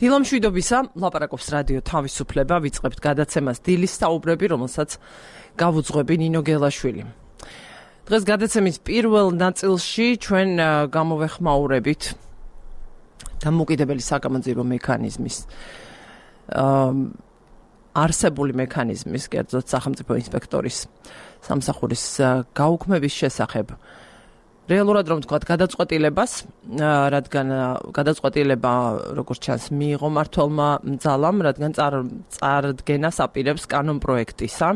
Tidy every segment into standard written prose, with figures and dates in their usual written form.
დილამშვიდობისა, ლაპარაკობს რადიო თავისუფლება, ვიწყებთ გადაცემას დილის საუბრები, რომელსაც გავუძღვები ნინო გელაშვილი. დღეს გადაცემის პირველ ნაწილში ჩვენ გამოვეხმაურებით დამოუკიდებელი საგამოძიებო მექანიზმის არსებული მექანიზმის, კერძოდ სახელმწიფო ინსპექტორის სამსახურის გაუქმების შესახებ. რეალურად რომ ვთქვათ, გადაწყვეტილებას, რადგან გადაწყვეტილება, როგორც ჩანს, მიიღო მმართველმა ძალამ, რადგან წარდგენას აპირებს კანონპროექტისა,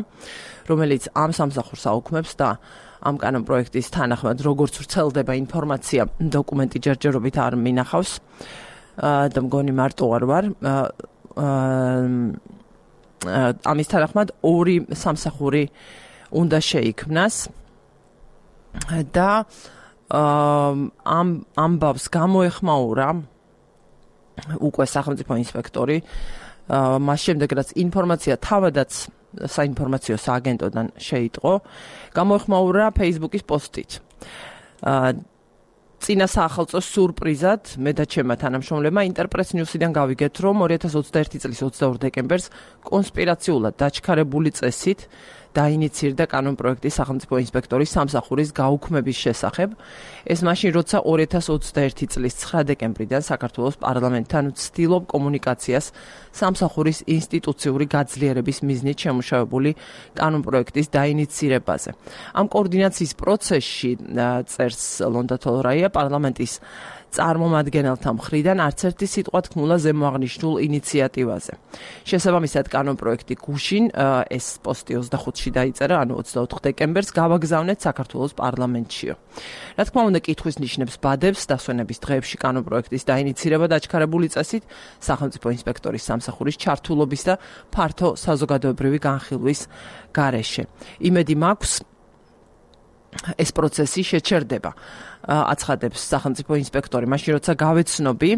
რომელიც ამ სამსახურს აუქმებს და ამ კანონპროექტის თანახმად, როგორც ვრცელდება ინფორმაცია, დოკუმენტი ჯერჯერობით არ მინახავს და მგონი მარტო არ ვარ. ამის თანახმად ორი სამსახური უნდა შეიქმნას და ამბავს გამოეხმაურა უკვე სახელმწიფო ინსპექტორი მას შემდეგ რაც ინფორმაცია თავადაც საინფორმაციო სააგენტოდან შეიტყო გამოეხმაურა Facebook-ის პოსტით წინა საახალწლო სურპრიზად მე და ჩემმა თანამშრომლებმა ინტერპრეს ნიუსიდან გავიგეთ რომ 2021 წლის 22 დეკემბერს კონსპირაციულად დაჩქარებული წესით დაინიცირდა კანონპროექტი სახელმწიფო ინსპექტორის სამსახურის გაუქმების შესახებ. ეს მაშინ როცა 2021 წლის 9 დეკემბრიდან საქართველოს პარლამენტთან ვცდილობ კომუნიკაციას სამსახურის ინსტიტუციური გაძლიერების მიზნით შემუშავებული კანონპროექტის დაინიცირებაზე. ამ კოორდინაციის პროცესში წერს ლონდა თოლორაია პარლამენტის წარმომადგენელთა მხრიდან არც ერთი სიტყვა თქმულა ზემოაღნიშნულ ინიციატივაზე. შესაბამისად კანონპროექტი გუშინ ეს პოსტი 25-ში დაიწერა, ანუ 24 დეკემბერს გავაგზავნეთ საქართველოს პარლამენტშიო. რა თქმა უნდა, კითხვის ნიშნებს ბადებს დასვენების დღეებში კანონპროექტის დაინიცირება დაჩქარებული წესით სახელმწიფო ინსპექტორის სამსახურის ჩართულობის და ფართო საზოგადოებრივი განხილვის გარეშე. იმედი მაქვს ეს პროცესი შეჩერდება. აცხადებს სახელმწიფო ინსპექტორი, მაშინ როცა გავეცნობი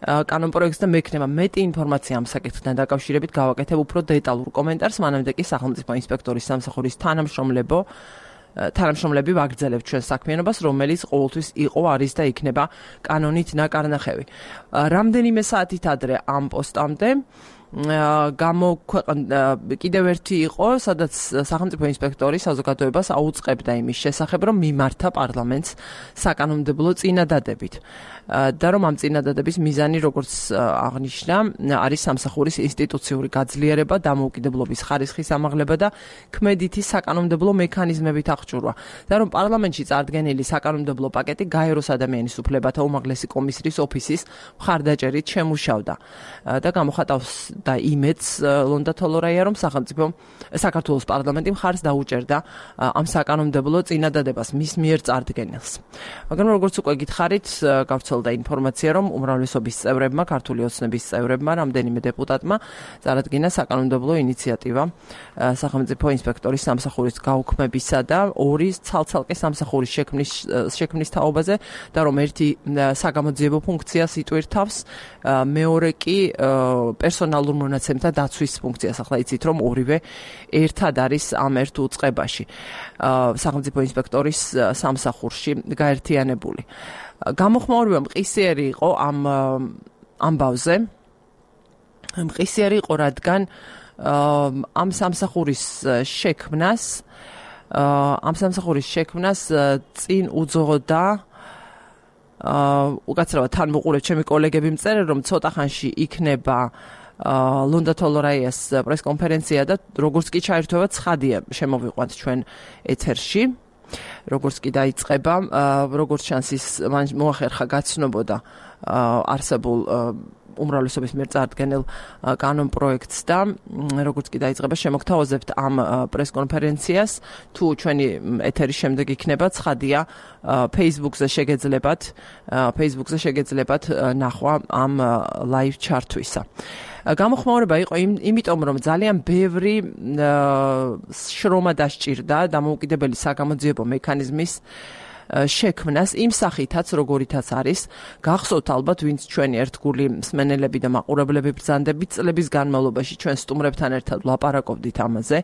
კანონპროექტს და მექნება მეტი ინფორმაცია ამ საკითხთან დაკავშირებით გავაკეთებ უფრო დეტალურ კომენტარს, მანამდე კი სახელმწიფო ინსპექტორის სამსახურის თანამშრომლები ვაგრძელებთ ჩვენ საქმიანობას, რომელიც ყოველთვის იყო, არის და იქნება კანონით ნაკარნახევი. რამდენიმე საათით ადრე ამ პოსტამდე კიდევ ერთი იყო, სადაც სახელმწიფო ინსპექტორი საზოგადოებას აუწყებდა იმის შესახებ, რომ მიმართა პარლამენტს საკანონმდებლო წინადადებით. და რომ ამ წინადადების მიზანი, როგორც აღნიშნა, არის სამსახურის ინსტიტუციური გაძლიერება, დამოუკიდებლობის ხარისხის ამაღლება და ქმედითი საკანონმდებლო მექანიზმებით აღჭურვა. და რომ პარლამენტში წარდგენილი საკანონმდებლო პაკეტი გაეროს ადამიანის უფლებათა უმაღლესი კომისრის ოფისის მხარდაჭერით შემუშავდა. და გამოხატავს და იმედს ლონდა თოლორაია რომ საქართველოს პარლამენტი მხარს დაუჭერდა ამ საკანონმდებლო წინადადებას მის მიერ წარდგენილს. მაგრამ როგორც უკვე გითხარით, გავრცელდა ინფორმაცია რომ უმრავლესობის წევრებმა, ქართული ოცნების წევრებმა, რამდენიმე დეპუტატმა წარადგინა საკანონმდებლო ინიციატივა სახელმწიფო ინსპექტორის სამსახურის გაუქმებისა და ორი ცალ-ცალკე სამსახურის შექმნის თაობაზე და რომ ერთი საგამოძიებო ფუნქციას იტვირთავს, მეორე კი პერსონალურ მონაცემთა დაცვის ფუნქციას. ახლა იცით რომ ორივე ერთად არის ამ ერთ უწყებაში სახელმწიფო ინსპექტორის სამსახურში გაერთიანებული. გამოხმაურება მყისიერი იყო ამ ამბავზე. მყისიერი იყო, რადგან ამ სამსახურის შექმნას წინ უძღოდა უკაცრავად თან მოყურებ ჩემი კოლეგები მწერენ რომ ცოტა ხანში იქნება ლონდა თოლორაიას პრესკონფერენცია და როგორც კი ჩაერთვება ცხადია შემოვიყვანთ ჩვენ ეთერში. როგორც კი დაიწყება, როგორც ჩანს ის მოახერხა გაცნობოდა არსებულ უმრავლესობის მიერ წარდგენილ კანონპროექტს და როგორც კი დაიწყება შემოგთავაზებთ ამ პრესკონფერენციას, თუ ჩვენი ეთერის შემდეგ იქნება ცხადია Facebook-ზე შეგეძლებათ ნახვა ამ live ჩართვისა. გამოხმაურება იყო იმიტომ რომ ძალიან ბევრი შრომა დასჭირდა დამოუკიდებელი საგამოძიებო მექანიზმის შექმნას იმ სახითაც როგორითაც არის გახსოვთ ალბათ ვინც ჩვენი ერთგული მსმენელები და მაყურებლები ბრძანდებით წლების განმავლობაში ჩვენ სტუმრებთან ერთად ვლაპარაკობდით ამაზე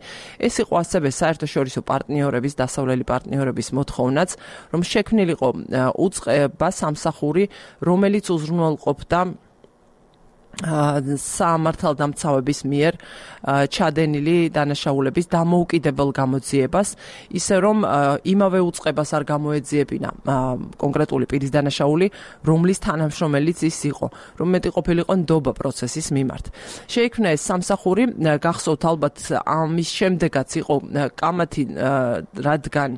ეს იყო ასევე საერთაშორისო პარტნიორების დასავლელი პარტნიორების მოთხოვნაც რომ შექმნილიყო უწყება სამსახური რომელიც უზრუნველყოფდა სამართალდამცავების მიერ ჩადენილი დანაშაულების დამოუკიდებელ გამოძიებას, ისე რომ იმავე უწყებას არ გამოეძიებინა კონკრეტული პირის დანაშაული, რომლის თანამშრომელიც ის იყო, რომ მეტი ყოფილიყო ნდობა პროცესის მიმართ. შეიქმნა ეს სამსახური, გახსოვთ ალბათ ამის შემდეგაც იყო კამათი, რადგან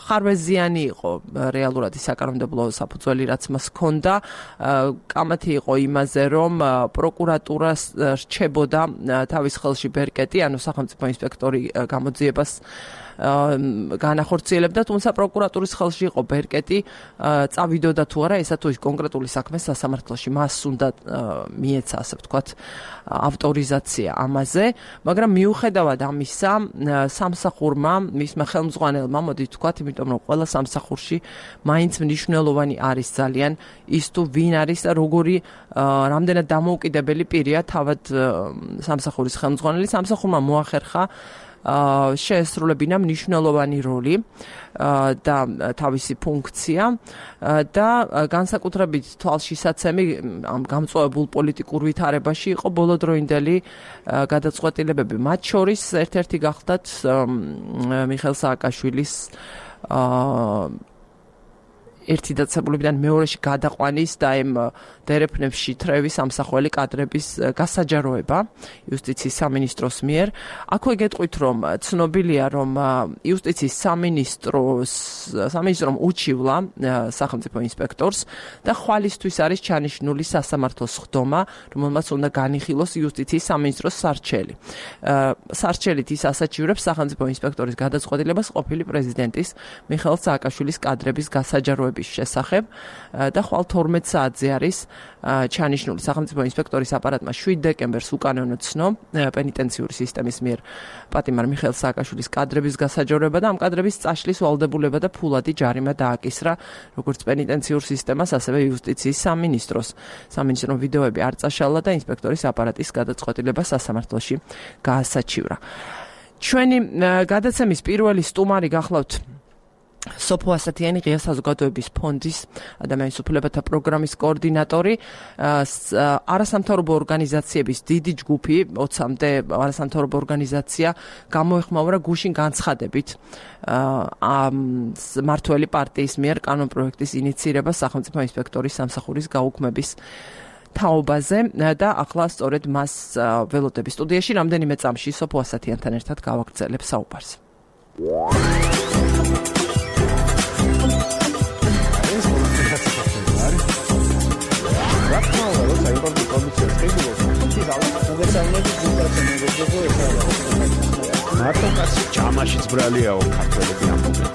ხარვეზიანი იყო რეალურად ის საკანონმდებლო საფუძველი, რაც მას ჰქონდა, კამათი იყო იმაზე, რომ პროკურატურას რჩებოდა თავის ხელში ბერკეტი, ანუ სახელმწიფო ინსპექტორი გამოძიებას განახორციელებდა, თუმცა პროკურატურის ხელში იყო ბერკეტი, წავიდოდა თუ არა ესა თუ ის კონკრეტული საქმე სასამართლოში, მას უნდა მიეცა, ასე ვთქვათ, ავტორიზაცია ამაზე, მაგრამ მიუხედავად ამისა, სამსახურმა, მისმა ხელმძღვანელმა, მოდით ვთქვათ, იმიტომ რომ ყველა სამსახურში მაინც მნიშვნელოვანი არის ძალიან ის თუ ვინ არის და როგორი რამდენად დამოუკიდებელი პირია თავად სამსახურის ხელმძღვანელი, სამსახურმა მოახერხა შეესრულებინა მნიშვნელოვანი როლი და თავისი ფუნქცია და განსაკუთრებით თვალშისაცემი ამ გამწვავებულ პოლიტიკურ ვითარებაში იყო ბოლოდროინდელი გადაწყვეტილებები. მათ შორის ერთ-ერთი გახლდათ მიხეილ სააკაშვილის ერთი დაწესებულებიდან მეორეში გადაყვანის და იმ დერეფნებში თრევის სამსახველი კადრების გასაჯაროება იუსტიციის სამინისტროს მიერ. აქვე გეტყვით, რომ ცნობილია, რომ იუსტიციის სამინისტრომ უჩივლა სახელმწიფო ინსპექტორს და ხვალისთვის არის ჩანიშნული სასამართლოს ხდომა, რომელმაც უნდა განიხილოს იუსტიციის სამინისტროს სარჩელი. სარჩელით ის ასაჩივრებს სახელმწიფო ინსპექტორის გადაწყვეტილებას ყოფილი პრეზიდენტის მიხეილ სააკაშვილის კადრების გასაჯაროება შესახებ და ხვალ 12 საათზე არის ჩანიშნული სახელმწიფო ინსპექტორის აპარატმა 7 დეკემბერს უკანონო ცნო პენიტენციური სისტემის მიერ პატიმარ მიხეილ სააკაშვილის კადრების გასაჯაროება და ამ კადრების წაშლის ვალდებულება და ფულადი ჯარიმა დააკისრა როგორც პენიტენციურ სისტემას, ასევე იუსტიციის სამინისტროს. სამინისტრომ ვიდეოები არ წაშალა და ინსპექტორის აპარატის გადაწყვეტილება სასამართლოში გაასაჩივრა. ჩვენი გადაცემის პირველი სტუმარი გახლავთ სოფო ასათიანი, ღია საზოგადოების ფონდის ადამიანის უფლებათა პროგრამის კოორდინატორი, არასამთავრობო ორგანიზაციების დიდი ჯგუფი, 20-მდე არასამთავრობო ორგანიზაცია გამოეხმაურა გუშინ განცხადებით მართველი პარტიის მიერ კანონპროექტის ინიცირება სახელმწიფო ინსპექტორის სამსახურის გაუქმების თაობაზე და ახლა სწორედ მას ველოდები სტუდიაში რამდენიმე წამში სოფო ასათიანთან ერთად გავაგრძელებ საუბარს. მარტო კაცი ჯამაშიც ბრალიაო ქართველები ამბობენ.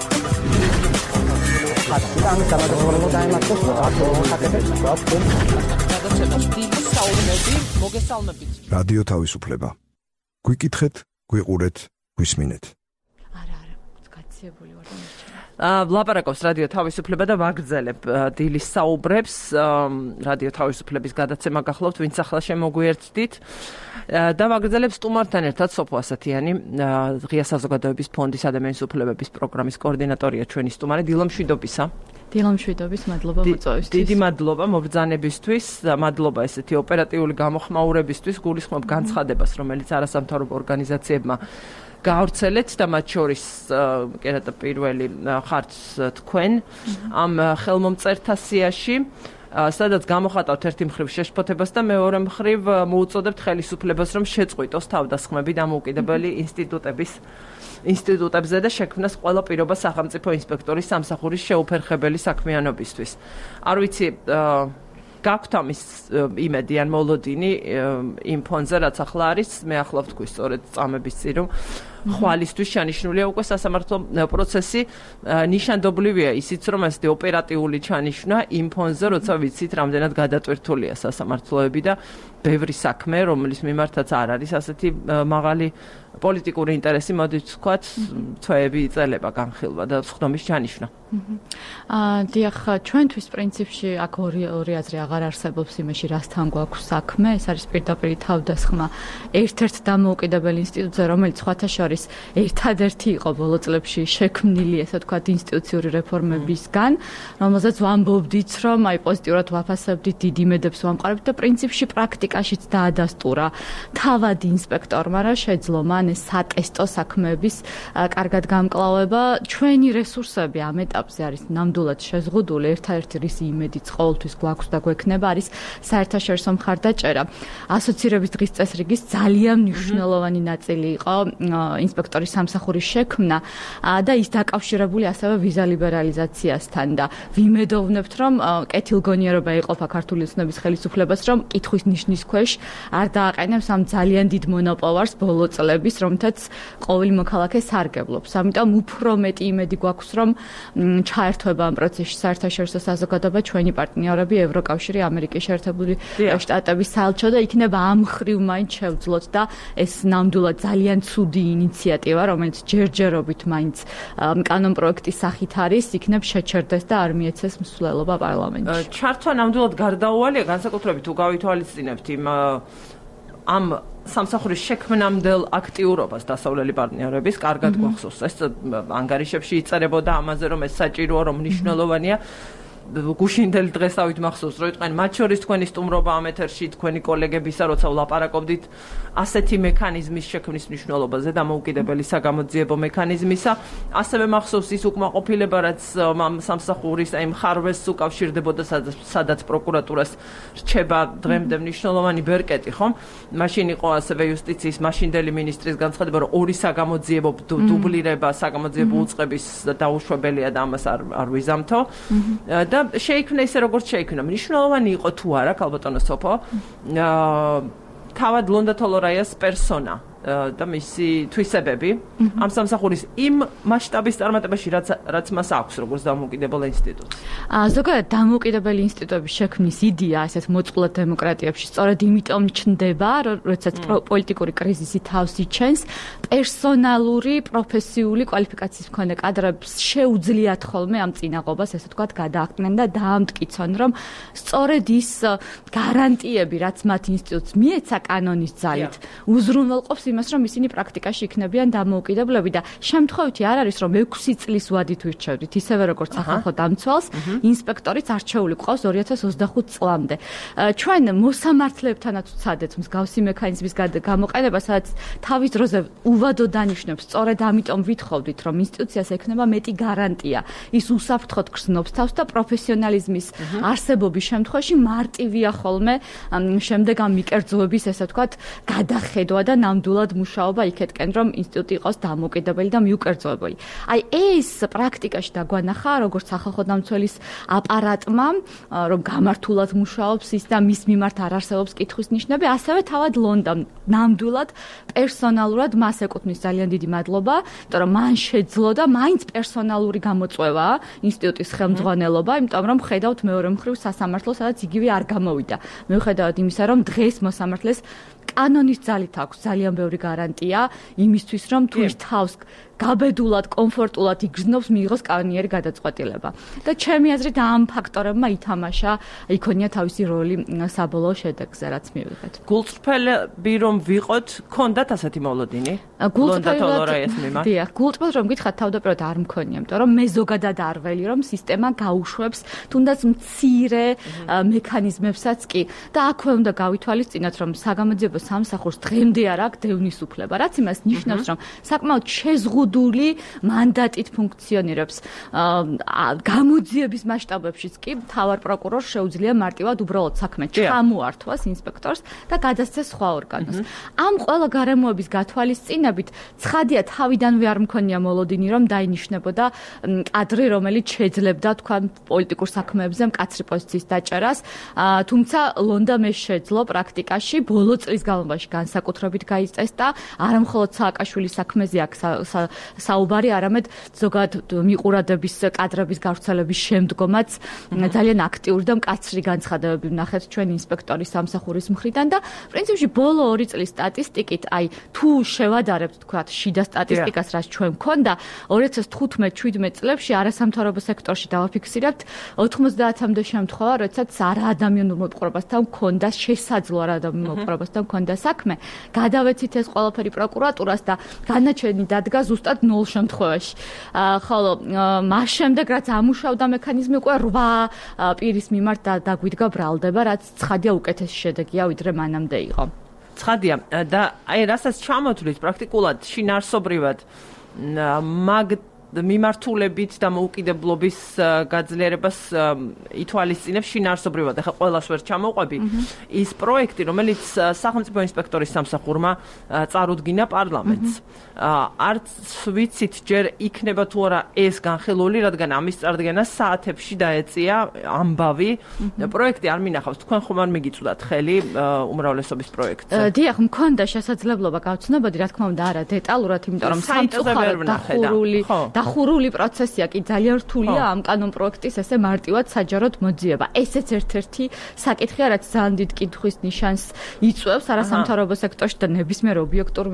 რადიო თავისუფლება. გვიკითხეთ, გვიყურეთ, გვისმინეთ. არა, კაციებული ვარ. ლაპარაკობს რადიო თავისუფლება და ვაგრძელებ დილის საუბრებს. რადიო თავისუფლების გადაცემა გახლავთ, ვინც ახლა შემოგვიერთდით და ვაგრძელებ სტუმართან ერთად სოფო ასათიანი, ღია საზოგადოების ფონდის ადამიანის უფლებების პროგრამის კოორდინატორია ჩვენი სტუმარი. დილომშვიდობისა. დილომშვიდობის, მადლობა მოწვევისთვის. დიდი მადლობა მობრძანებისთვის, მადლობა ესეთი ოპერატიული გამოხმაურებისთვის, გულისხმობ განცხადებას, რომელიც არასამთავრობო ორგანიზაციებმა გაავრცელეთ და მათ შორის კერატა პირველი ხართ თქვენ ამ ხელმომწერთა სიაში, სადაც გამოხატავთ ერთი მხრივ შეშფოთებას და მეორე მხრივ მოუწოდებთ ხელისუფლებას, რომ შეწყვიტოს თავდასხმები დამოუკიდებელი ინსტიტუტებზე და შექმნას ყველა პირობა სახელმწიფო ინსპექტორის სამსახურის შეუფერხებელი საქმიანობისთვის. არ ვიცი, გაქვთ ამის იმედი ან მოლოდინი იმ ფონზე, რაც ახლა არის, მე ახლა ვთქვი სწორედ წამების წინ, რომ ხვალისთვის ჩანიშნულია უკვე სასამართლო პროცესი. ნიშანდობლივია ისიც, რომ ასეთი ოპერატიული ჩანიშვნა იმ ფონზე, როცა ვიცით, რამდენად გადატვირთულია სასამართლოები და ბევრი საქმე, რომლის მიმართაც არ არის ასეთი მაღალი პოლიტიკური ინტერესი, მოდით ვთქვათ, თვეები იწელება განხილვა და სხდომის ჩანიშვნა. დიახ, ჩვენთვის პრინციპში აქ ორი აზრი აღარ არსებობს იმაში, რასთან გვაქვს საქმე. ეს არის პირდაპირ თავდასხმა ერთ-ერთ დამოუკიდებელ ინსტიტუტზე, რომელიც სხვათა შორის შორის ერთადერთი იყო ბოლო წლებში შექმნილი, ესე ვთქვათ, ინსტიტუციური რეფორმებისგან, რომელზეც ვამბობდით, რომ აი პოზიტიურად ვაფასებდით, დიდ იმედებს ვამყარებთ და პრინციპში პრაქტიკაშიც დაადასტურა თავად ინსპექტორმა რა შეძლო მან ეს სატესტო საქმეების კარგად გამკლავება. ჩვენი რესურსები ამ ეტაპზე არის ნამდვილად შეზღუდული, ერთადერთი რის იმედიც ყოველთვის გვაქვს და გვექნება არის საერთაშორისო მხარდაჭერა. ასოცირების დღის წესრიგის ძალიან მნიშვნელოვანი ნაწილი იყო ინსპექტორის სამსახურის შექმნა და ის დაკავშირებული ასევე ვიზა ლიბერალიზაციასთან და ვიმედოვნებთ, რომ კეთილგონიერობა იყოფა ქართული ოცნების ხელისუფლებას, რომ კითხვის ნიშნის ქვეშ არ დააყენებს ამ ძალიან დიდ მონოპოვარს ბოლო წლების, რომთაც ყოველი მოქალაქე სარგებლობს. ამიტომ უფრო მეტი იმედი გვაქვს, რომ ჩაერთვება ამ პროცესში საერთაშორისო საზოგადოება, ჩვენი პარტნიორები, ევროკავშირი, ამერიკის შეერთებული შტატების საელჩო და იქნება ამ მხრივ მაინც შევძლოთ და ეს ნამდვილად ძალიან ცუდი ინიციატივა, რომელიც ჯერჯერობით მაინც კანონპროექტის სახით არის, იქნებ შეჩერდეს და არ მიეცეს მსვლელობა პარლამენტში. ჩართვა ნამდვილად გარდაუვალია, განსაკუთრებით თუ გავითვალისწინებთ ამ სამსახურის შექმნამდელ აქტიურობას დასავლელი პარტნიორების, კარგად გვახსოვს. ეს ანგარიშებში იწერებოდა ამაზე, რომ ეს საჭიროა, რომ მნიშვნელოვანია. გუშინდელი დღესავით მახსოვს, რომ იყვნენ მათ შორის თქვენი სტუმრობა ამ ეთერში, თქვენი კოლეგებისა, როცა ვლაპარაკობდით ასეთი მექანიზმის შექმნის მნიშვნელობაზე, დამოუკიდებელი საგამოძიებო მექანიზმისა. ასევე მახსოვს ის უკმაყოფილება, რაც სამსახურის აი მხარვეს უკავშირდებოდა, სადაც პროკურატურას რჩება დღემდე მნიშვნელოვანი ბერკეტი, ხომ? მაშინ იყო ასევე იუსტიციის მაშინდელი მინისტრის განცხადება, რომ ორი საგამოძიებო დუბლირება საგამოძიებო უწყების დაუშვებელია და ამას არ ვიზამთო. და შეიქმნა ისე როგორც შეიქმნა. მნიშვნელოვანი იყო თუ არა, ქალბატონო სოფო, თავად ლონდა თოლორაიას პერსონა და მისი თვისებები ამ სამსახურის იმ მასშტაბის წარმატებაში, რაც მას აქვს როგორც დამოუკიდებელ ინსტიტუტს. ზოგადად დამოუკიდებელი ინსტიტუტების შექმნის იდეა ასეთ მოწყვლად დემოკრატიებში სწორედ იმიტომ ჩნდება, როდესაც პოლიტიკური კრიზისი თავს იჩენს, პერსონალური, პროფესიული კვალიფიკაციის მქონე კადრებს შეუძლიათ ხოლმე ამ წინაღობას, ესე ვთქვათ, გადააყრნენ და დაამტკიცონ, რომ სწორედ ის გარანტიები, რაც მათ ინსტიტუტს მიეცა კანონის ძალით, უზრუნველყოფს იმას, რომ ისინი პრაქტიკაში იქნებიან დამოუკიდებლები და შემთხვევითი არ არის, რომ 6 წლის ვადით ვირჩევდით, ისევე როგორც სახალხო დამცველს, ინსპექტორიც არჩეული ყავს 2025 წლამდე. ჩვენ მოსამართლეებთანაც ვცადეთ მსგავსი მექანიზმის გამოყენება, სადაც თავის დროზე უვადო დანიშნებს, სწორედ ამიტომ ვითხოვდით, რომ ინსტიტუციას ექნება მეტი გარანტია. ის უსაფრთხოდ გრძნობს თავს და პროფესიონალიზმის არსებობის შემთხვევაში მარტივია ხოლმე შემდეგ ამ მიკერძოების, ესე ვთქვათ, გადახედვა და ნამდვილად მუშაობა იქეთკენ, რომ ინსტიტუტი იყოს დამოუკიდებელი და მიუკერძოებელი. აი ეს პრაქტიკაში დაგვანახა, როგორც სახალხო დამცველის აპარატმა, რომ გამართულად მუშაობს ის და მის მიმართ არ არსებობს კითხვის ნიშნები, ასევე თავად ლონდამ ნამდვილად პერსონალურად მას ეკუთვნის ძალიან დიდი მადლობა, იმიტომ რომ მან შეძლო და მაინც პერსონალური გამოწვევა ინსტიტუტის ხელმძღვანელობა, იმიტომ რომ ხედავთ მეორე მხრივ სასამართლოს, სადაც იგივე არ გამოვიდა. მიუხედავად იმისა, რომ დღეს მოსამართლეს კანონის ძალით აქვს ძალიან ბევრი გარანტია იმისთვის, რომ თუ ის თავს გაბედულად, კომფორტულად იგრძნობს, მიიღოს კანონიერი გადაწყვეტილება. და ჩემი აზრით ამ ფაქტორებმა ითამაშა, იქონია თავისი როლი საბოლოო შედეგზე, რაც მივიღეთ. გულწრფელები რომ ვიყოთ, ქონდათ ასეთი მოლოდინი? დიახ, გულწრფელად რომ გითხრათ, თავდაპირველად არ მქონია, იმიტომ რომ მე ზოგადად არ ველი, რომ სისტემა გაუშვებს თუნდაც მცირე მექანიზმებსაც კი. და აქვე უნდა გავითვალისწინოთ, რომ საგამოძიებო სამსახურს დღემდე არ აქვს დევნის უფლება, რაც იმას ნიშნავს, რომ საკმაოდ შეზღუდული მანდატით ფუნქციონირებს. გამოძიების მასშტაბებშიც კი მთავარ პროკურორს შეუძლია მარტივად უბრალოდ საქმე ჩამოართვას ინსპექტორს და გადასცეს სხვა ორგანოს. ამ ყველა გარემოების გათვალისწინებით ცხადია თავიდანვე არ მქონია მოლოდინი, რომ დაინიშნებოდა კადრი, რომელიც შეძლებდა თქვა პოლიტიკურ საქმეებზე მკაცრი პოზიციის დაჭერას, თუმცა ლონდა მე შეძლო პრაქტიკაში ბოლო წლის განმავლობაში განსაკუთრებით გაიწესდა, არა მხოლოდ სააკაშვილის საქმეზე აქ საუბარი, არამედ ზოგადად მიყურადების კადრების გავრცელების შემდგომაც ძალიან აქტიური და მკაცრი განცხადებები ვნახეთ ჩვენ ინსპექტორის სამსახურის მხრიდან და პრინციპში ბოლო 2 წლის სტატისტიკით, აი თუ შევადარებთ თქვა შიდა სტატისტიკას, რაც ჩვენ მქონდა 2015-17 წლებში არასამთავრობო სექტორში დავაფიქსირებთ 90-მდე შემთხვევა, როდესაც არაადამიანურ მოპყრობასთან მქონდა შესაძლო არაადამიანურ მოპყრობასთან ჰქონდა საქმე, გადავეცით ეს ყველაფერი პროკურატურას და განაჩენი დადგა ზუსტად 0 შემთხვევაში. ხოლო მას შემდეგ რაც ამუშავდა მექანიზმი უკვე 8 პირის მიმართ დაგვიდგა ბრალდება, რაც ცხადია უკეთესი შედეგია, ვიდრე მანამდე იყო. ცხადია და აი რასაც ჩამოთვლით პრაქტიკულად შინაარსობრივად მაგ მიმართულებით და მოუკიდებლობის გაძლიერებას ითვალისწინებს შინაარსობრივად. ახლა ყველას ვერ ჩამოვყვები ის პროექტი, რომელიც სახელმწიფო ინსპექტორის სამსახურმა წარუდგინა პარლამენტს. არც ვიცით ჯერ იქნება თუ არა ეს განხილული, რადგან ამის წარდგენა საათებში დაეწია ამბავი. პროექტი არ მინახავს, თქვენ ხომ არ მიგიწვდათ ხელი უმრავლესობის პროექტზე? დიახ, მქონდა შესაძლებლობა გავცნობოდი, რა თქმა უნდა, არა დეტალურად, იმიტომ რომ სამწუხაროდ დახურული პროცესია კი ძალიან რთულია ამ კანონ პროექტის ესე მარტივად საჯაროდ მოძიება. ესეც ერთ-ერთი საკითხია, რაც ძალიან დიდ კითხვის ნიშანს იწვევს არასამთავრობო სექტორში და ნებისმიერ ობიექტურ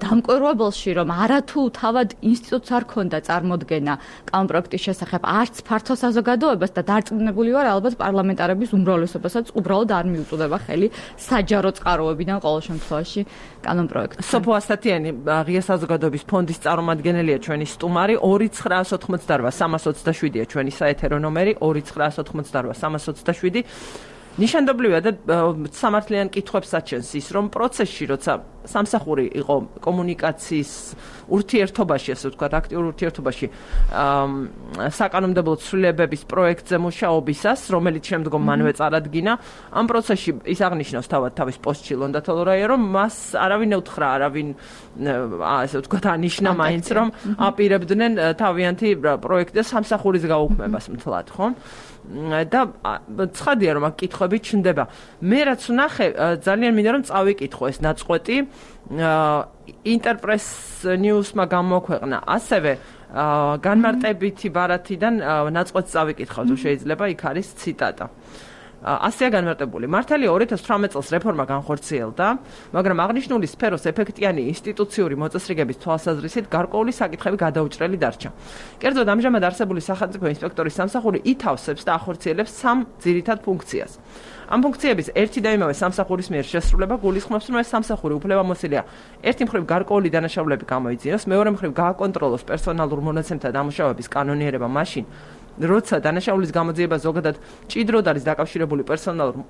დამკვირვებელში, რომ არათუ თავად ინსტიტუტს არ ქონდა წარმოდგენა კანონ პროექტის შესახებ, არც ფართო საზოგადოებას და დარწმუნებული ვარ, ალბათ პარლამენტარების უმრავლესობასაც უბრალოდ არ მიუწვდება ხელი საჯარო წყაროებიდან ყოველ შემთხვევაში კანონ პროექტს. სოფო ასათიანი ღია საზოგადოების ფონდის წარმომადგენელია ჩვენი სტუმარი. 2988-327-ია ჩვენი საეთერო ნომერი 2988-327. ნიშანდობლივია და სამართლიან კითხვებს აჩენს ის, რომ პროცესში, როცა სამსახური იყო კომუნიკაციის ურთიერთობაში, ასე ვთქვათ, აქტიურ ურთიერთობაში საკანონმდებლო ცვლილებების პროექტზე მუშაობისას, რომელიც შემდგომ მანვე წარადგინა, ამ პროცესში ის აღნიშნავს თავის პოსტში ლონდათოლორაია, რომ მას არავინ უთხრა, არავინ ასე ვთქვათ, ანიშნა მაინც, რომ აპირებდნენ თავიანთი პროექტის სამსახურის გაუქმებას მთლად, ხო? და ცხადია რომ აქ კითხვები ჩნდება. მე რაც ვნახე, ძალიან მინდა რომ წავიკითხო ეს ნაწყვეტი. ინტერპრეს ნიუსმა გამოქვეყნა ასევე განმარტებითი ბარათიდან ნაწყვეტს წავიკითხავ, თუ შეიძლება, იქ არის ციტატა. ასეა განმარტებული. მართალია 2018 წელს რეფორმა განხორციელდა, მაგრამ აღნიშნული სფეროს ეფექტიანი ინსტიტუციური მოწესრიგების თვალსაზრისით გარკვეული საკითხები გადაუჭრელი დარჩა. კერძოდ ამჟამად არსებული სახელმწიფო ინსპექტორის სამსახური ითავსებს და ახორციელებს 3 ძირითად ფუნქციას. ამ ფუნქციების ერთი და იმავე სამსახურის მიერ შესრულება გულისხმობს, რომ ეს სამსახური უფლებამოსილია ერთი მხრივ გარკვეული დანაშაულები გამოიძიოს, მეორე მხრივ გააკონტროლოს პერსონალურ მონაცემთა დამუშავების კანონიერება მაშინ, როცა დანაშაულის გამოძიება ზოგადად ჭიდროდ არის დაკავშირებული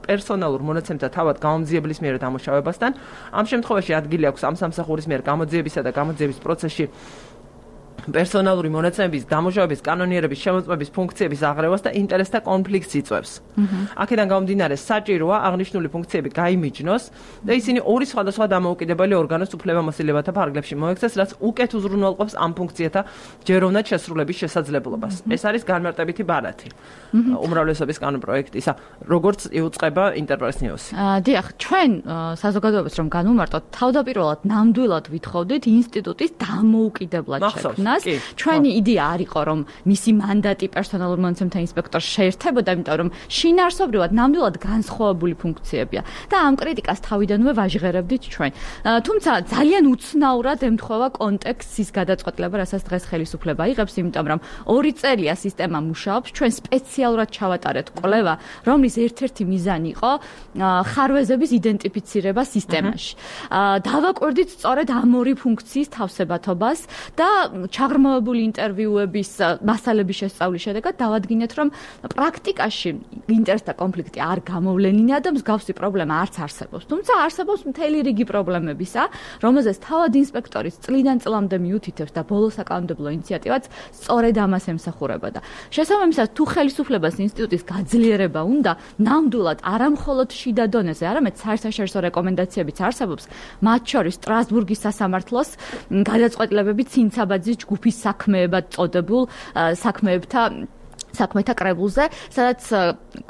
პერსონალურ მონაცემთა თავად გამომძიებლის მიერ დამუშავებასთან. ამ შემთხვევაში ადგილი აქვს ამ სამსახურის მიერ გამოძიებისა და გამოძიების პროცესში პერსონალური მონაცემების დამუშავების კანონიერების შემოწმების ფუნქციების აღრევას და ინტერესთა კონფლიქტს იწვევს. აქედან გამომდინარე, საჭიროა აღნიშნული ფუნქციები გაიმიჯნოს და ისინი ორი სხვადასხვა დამოუკიდებელი ორგანოს უფლებამოსილებათა ფარგლებში მოექცეს, რაც უკეთ უზრუნველყოფს ამ ფუნქციათა ჯეროვნად შესრულების შესაძლებლობას. ეს არის განმარტებითი ბარათი უმრავლესობის კანონ პროექტისა, როგორც იუწყება ინტერპრეს ნიუსი. დიახ, ჩვენ საზოგადოებას რომ განვმარტოთ, თავდაპირველად ნამდვილად ვითხოვდით ინსტიტუტის დამოუკიდებლად შექმნა. ჩვენი იდეა არ იყო, რომ მისი მანდატი პერსონალურ მონაცემთა ინსპექტორს შეერთებოდა, იმიტომ რომ შინაარსობრივად ნამდვილად განსხვავებული ფუნქციებია და ამ კრიტიკას თავიდანვე ვაჟღერებდით ჩვენ. თუმცა ძალიან უცნაურად ემთხვევა კონტექსტის გადაწყვეტილება, რასაც დღეს ხელისუფლება იღებს, იმიტომ რომ 2 წელია სისტემა მუშაობს, ჩვენ სპეციალურად ჩავატარეთ კვლევა, რომლის ერთ-ერთი მიზანი იყო ხარვეზების იდენტიფიცირება სისტემაში. დავაკვირდით სწორედ ამ ორი ფუნქციის თავსებათობას და ჩაღრმავებული ინტერვიუების მასალების შესწავლის შედეგად დავადგინეთ, რომ პრაქტიკაში ინტერესთა კონფლიქტი არ გამოვლენინა და მსგავსი პრობლემა არც არსებობს. თუმცა არსებობს მთელი რიგი პრობლემებისა, რომელზეც თავად ინსპექტორის წლიდან წლამდე მიუთითებს და ბოლო საკანონმდებლო ინიციატივაც სწორედ ამას ემსახურებოდა. შესაბამისად, თუ ხელისუფლებას ინსტიტუტის გაძლიერება უნდა, ნამდვილად არა მხოლოდ შიდა დონეზე, არამედ საერთაშორისო რეკომენდაციებიც არსებობს, მათ შორის სტრასბურგის სასამართლოს გადაწყვეტილებები ცინცაბაძის ჯგუფის საქმეებად წოდებულ საქმეთა კრებულზე, სადაც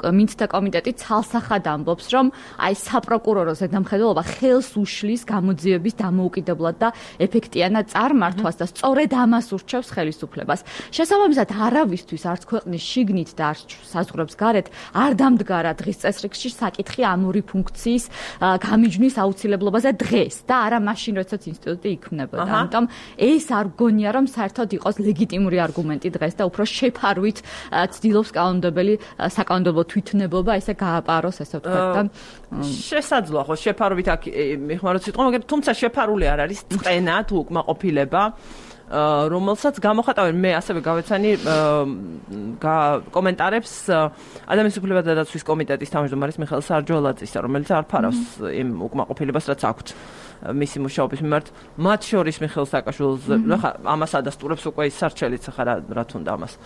მინცთა კომიტეტი ცალსახად ამბობს, რომ აი საპროკურორო ზედამხედველობა ხელს უშლის გამოძიების დამოუკიდებლად და ეფექტიანად წარმართვას და სწორედ ამას ურჩევს ხელისუფლებას. შესაბამისად, არავისთვის არც ქვეყნის შიგნით და არც საზღვრებს გარეთ არ დამდგარა დღის წესრიგში საკითხი ამ ორი ფუნქციის გამიჯვნის აუცილებლობაზე დღეს და არა მაშინ, როდესაც ინსტიტუტი იქმნებოდა. ამიტომ ეს არ გონია, რომ საერთოდ იყოს ლეგიტიმური არგუმენტი დღეს და უფრო შეფარვით ცდილობს კანონმდებელი საკანონმდებლო თვითნებობა ესე გააპაროს, ესე ვთქვათ და შესაძლოა ხო შეფარობით აქ მიხმაროთ სიტყვა, მაგრამ თუმცა შეფარული არ არის წენა თუ უკმაყოფილება, რომელსაც გამოხატავენ მე ასევე გავეცანი კომენტარებს ადამიანის უფლებათა დაცვის კომიტეტის თავმჯდომარის მიხეილ სარჯოლაძისა, რომელიც არ ფარავს იმ უკმაყოფილებას, რაც აქვთ მისი მუშაობის მიმართ, მათ შორის მიხეილ სააკაშვილს, ხა ამას ადასტურებს უკვე ის სარჩელიც ხა რა თუნდა ამას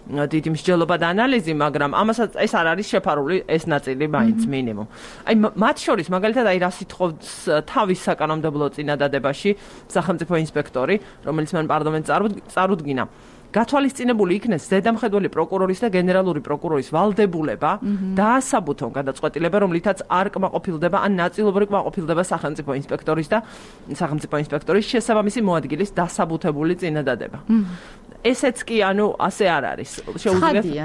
დიდი მსჯელობა და ანალიზი, მაგრამ ამასაც ეს არ არის შეფარული ეს ნაწილი მაინც მინიმუმ. აი მათ შორის მაგალითად აი რა სიტყობს თავის საკანონმდებლო წინადადებაში სახელმწიფო ინსპექტორი, რომელიც მან პარლამენტს წარუდგინა. გათვალისწინებული იქნეს ზედამხედველი პროკურორის და გენერალური პროკურორის ვალდებულება დაასაბუთონ გადაწყვეტილება, რომლითაც არ კმაყოფილდება ან ნაწილობრივ კმაყოფილდება სახელმწიფო ინსპექტორის შესაბამისი მოადგილის დასაბუთებული წინადადება. ესეც კი ანუ ასე არ არის.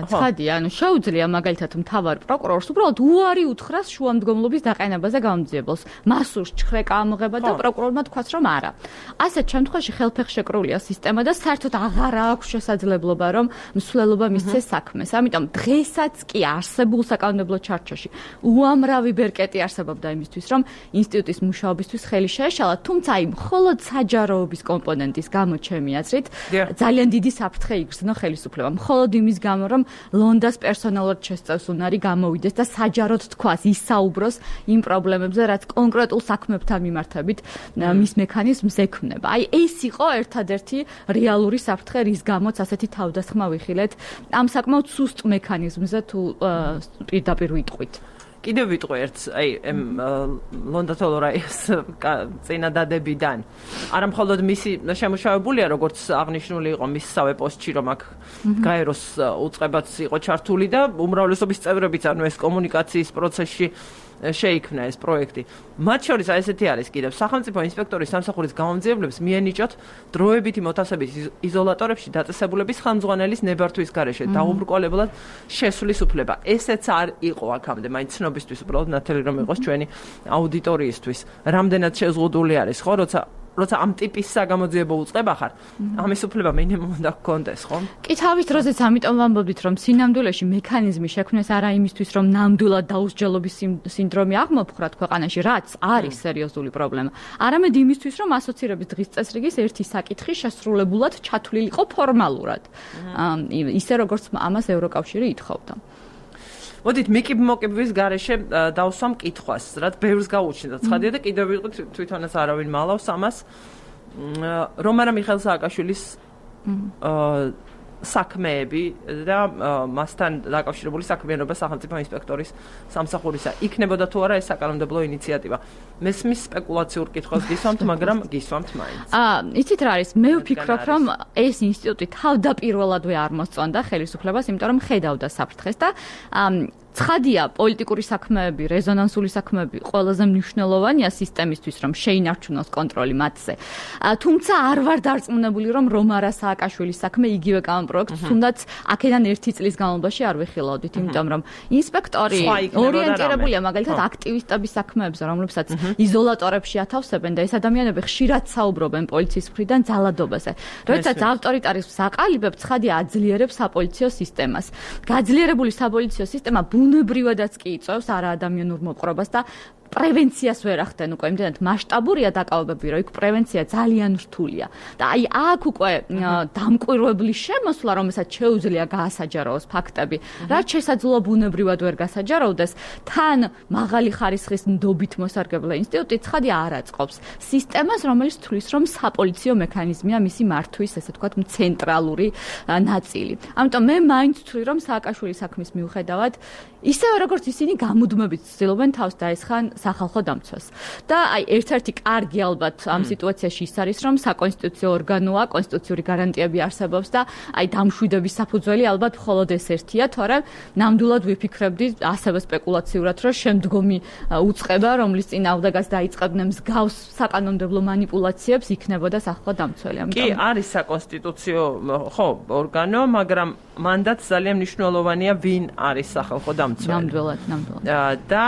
ცხადია, ანუ შეუძლია მაგალითად მთავარ პროკურორს უბრალოდ უარი უთხრას შუამდგომლობის დაყენებაზე გამძიებელს. მასურს ჩხრეკა ამოღება და პროკურორმა თქვას რომ არა. ასეთ შემთხვევაში ხელფეხშეკრულია სისტემა და საერთოდ აღარ აქვს შესაძლებლობა რომ მსვლელობა მისცეს საქმეს. ამიტომ დღესაც კი არსებულ საკანონმდებლო ჩარჩოში უამრავი ბერკეტი არსებობდა იმისთვის რომ ინსტიტუტის მუშაობისთვის ხელი შეეშალა, თუმცა აი მხოლოდ საჯაროობის კომპონენტის გამო ჩემი აზრით ძალიან დიდი საფრთხე იგრძნო ხელისუფლებამ. მხოლოდ იმის გამო რომ ლონდას პერსონალურად შესწევს უნარი გამოვიდეს და საჯაროდ თქვას ისაუბროს იმ პრობლემებზე, რაც კონკრეტულ საქმებთან მიმართებით მის მექანიზმს ექმნება. აი ეს იყო ერთადერთი რეალური საფრთხე, რის გამოც ასეთი თავდასხმა ვიხილეთ ამ საკმაოდ სუსტ მექანიზმზე თუ პირდაპირ ვიტყვით. კიდევ ვიტყვი ერთს, აი ლონდა თოლორაის წინადადებიდან. არა მხოლოდ მისი შემუშავებულია, როგორც აღნიშნული იყო მისსავე პოსტში, რომ აქ გაეროს უწყებაც იყო ჩართული და უმრავლესობის წევრებიც, ანუ ეს კომუნიკაციის პროცესში შეიქმნა ეს პროექტი. მათ შორის ესეთი არის კიდევ სახელმწიფო ინსპექტორის სამსახურის გამომძიებლებს მიენიჭოთ დროებითი მოთავსებით იზოლატორებში დაწესებულების ხელმძღვანელის ნებართვის გარეშე დაუბრკოლებულად შესვლის უფლება. ესეც არ იყო აქამდე, მაინც ცნობისთვის უბრალოდ ნათელი რომ იყოს ჩვენი აუდიტორიისთვის. რამდენად შეზღუდული არის, ხო, როცა ამ ტიპის საგამოძიებო უწყება ხარ, ამის უფლება მინიმუმ უნდა გქონდეს, ხო? კი თავის დროზეც ამიტომ ვამბობთ, რომ სინამდვილეში მექანიზმი შექმნეს არა იმისთვის, რომ ნამდვილად დაუსჯელობის სინდრომი აღმოფხრათ ქვეყანაში, რაც არის სერიოზული პრობლემა, არამედ იმისთვის, რომ ასოცირების დღის წესრიგის ერთი საკითხი შესრულებულად ჩათვლილიყო ფორმალურად. ისე როგორც ამას ევროკავშირი ითხოვდა. მოდით მოკიბვის გარეშე დავსვამ კითხვას, რაც ბევრს გაუჩნდა. ცხადია და კიდევ ვიყოთ თვითონაც არავინ მალავს ამას. რომ არა მიხეილ სააკაშვილის საქმეები და მასთან დაკავშირებული საქმიანობა სახელმწიფო ინსპექტორის სამსახურისა იქნებოდა თუ არა ეს საკანონმდებლო ინიციატივა. მესმის სპეკულაციურ კითხვას გისვამთ, მაგრამ გისვამთ მაინც. იცით რა არის? მე ვფიქრობ, რომ ეს ინსტიტუტი თავდაპირველადვე არ მოსწონდა ხელისუფლებას, იმიტომ რომ ხედავდა საფრთხეს და ცხადია, პოლიტიკური საქმეები, რეზონანსული საქმეები ყველაზე მნიშვნელოვანია სისტემისთვის, რომ შეინარჩუნოს კონტროლი მათზე. თუმცა არ ვარ დარწმუნებული, რომ რომარა სააკაშვილის საქმე იგივე კანონპროექტს თუნდაც აქედან 1 წლის განმავლობაში არ ვეხილავდით, იმიტომ რომ ინსპექტორი ორიენტირებულია მაგალითად აქტივისტების საქმეებზე, რომლებსაც იზოლატორებში ათავსებენ და ეს ადამიანები ხშირად საუბრობენ პოლიციის მხრიდან ძალადობაზე. როდესაც ავტორიტარიზმს აყალიბებს, ცხადია აძლიერებს საპოლიციო სისტემას. გაძლიერებული საპოლიციო სისტემა ბუნებრივადაც კი იწვევს არაადამიანურ მოპყრობას და პრევენციას ვერ ახდენ უკვე იმდენად მასშტაბურია დაკავებები, რომ იქ პრევენცია ძალიან რთულია. და აი აქ უკვე დამკვირვებლის შემოსვლა, რომელსაც შეუძლია გაასაჯაროოს ფაქტები, რაც შესაძლოა ბუნებრივად ვერ გასაჯაროვდეს, თან მაღალი ხარისხის ნდობით მოსარგებლე ინსტიტუტი ცხადია არ აწყობს სისტემას, რომელიც თვლის, რომ საპოლიციო მექანიზმია მისი მართვის, ესე ვთქვათ, ცენტრალური ნაწილი. ამიტომ მე მაინც ვთვლი, რომ სააკაშვილის საქმის მიუხედავად, ისევე როგორც ისინი გამუდმებით ცდილობენ თავს დაესხან სახალხო დამცვას. და აი ერთ-ერთი კარგი ალბათ ამ სიტუაციაში ის არის, რომ საკონსტიტუციო ორგანოა, კონსტიტუციური გარანტიები არსებობს და აი დამშვიდების საფუძველი ალბათ მხოლოდ ეს ერთია, თორემ ნამდვილად ვიფიქრებდი ასევე სპეკულაციურად, რომ შემდგომი უწყება, რომლის წინააღმდეგაც დაიწყებდნენ მსგავს საკანონმდებლო манипуляციებს, იქნებოდა სახალხო დამცველი. კი, არის საკონსტიტუციო ხო, ორგანო, მაგრამ მანდაც ძალიან მნიშვნელოვანია ვინ არის სახალხო დამცველი. ნამდვილად. და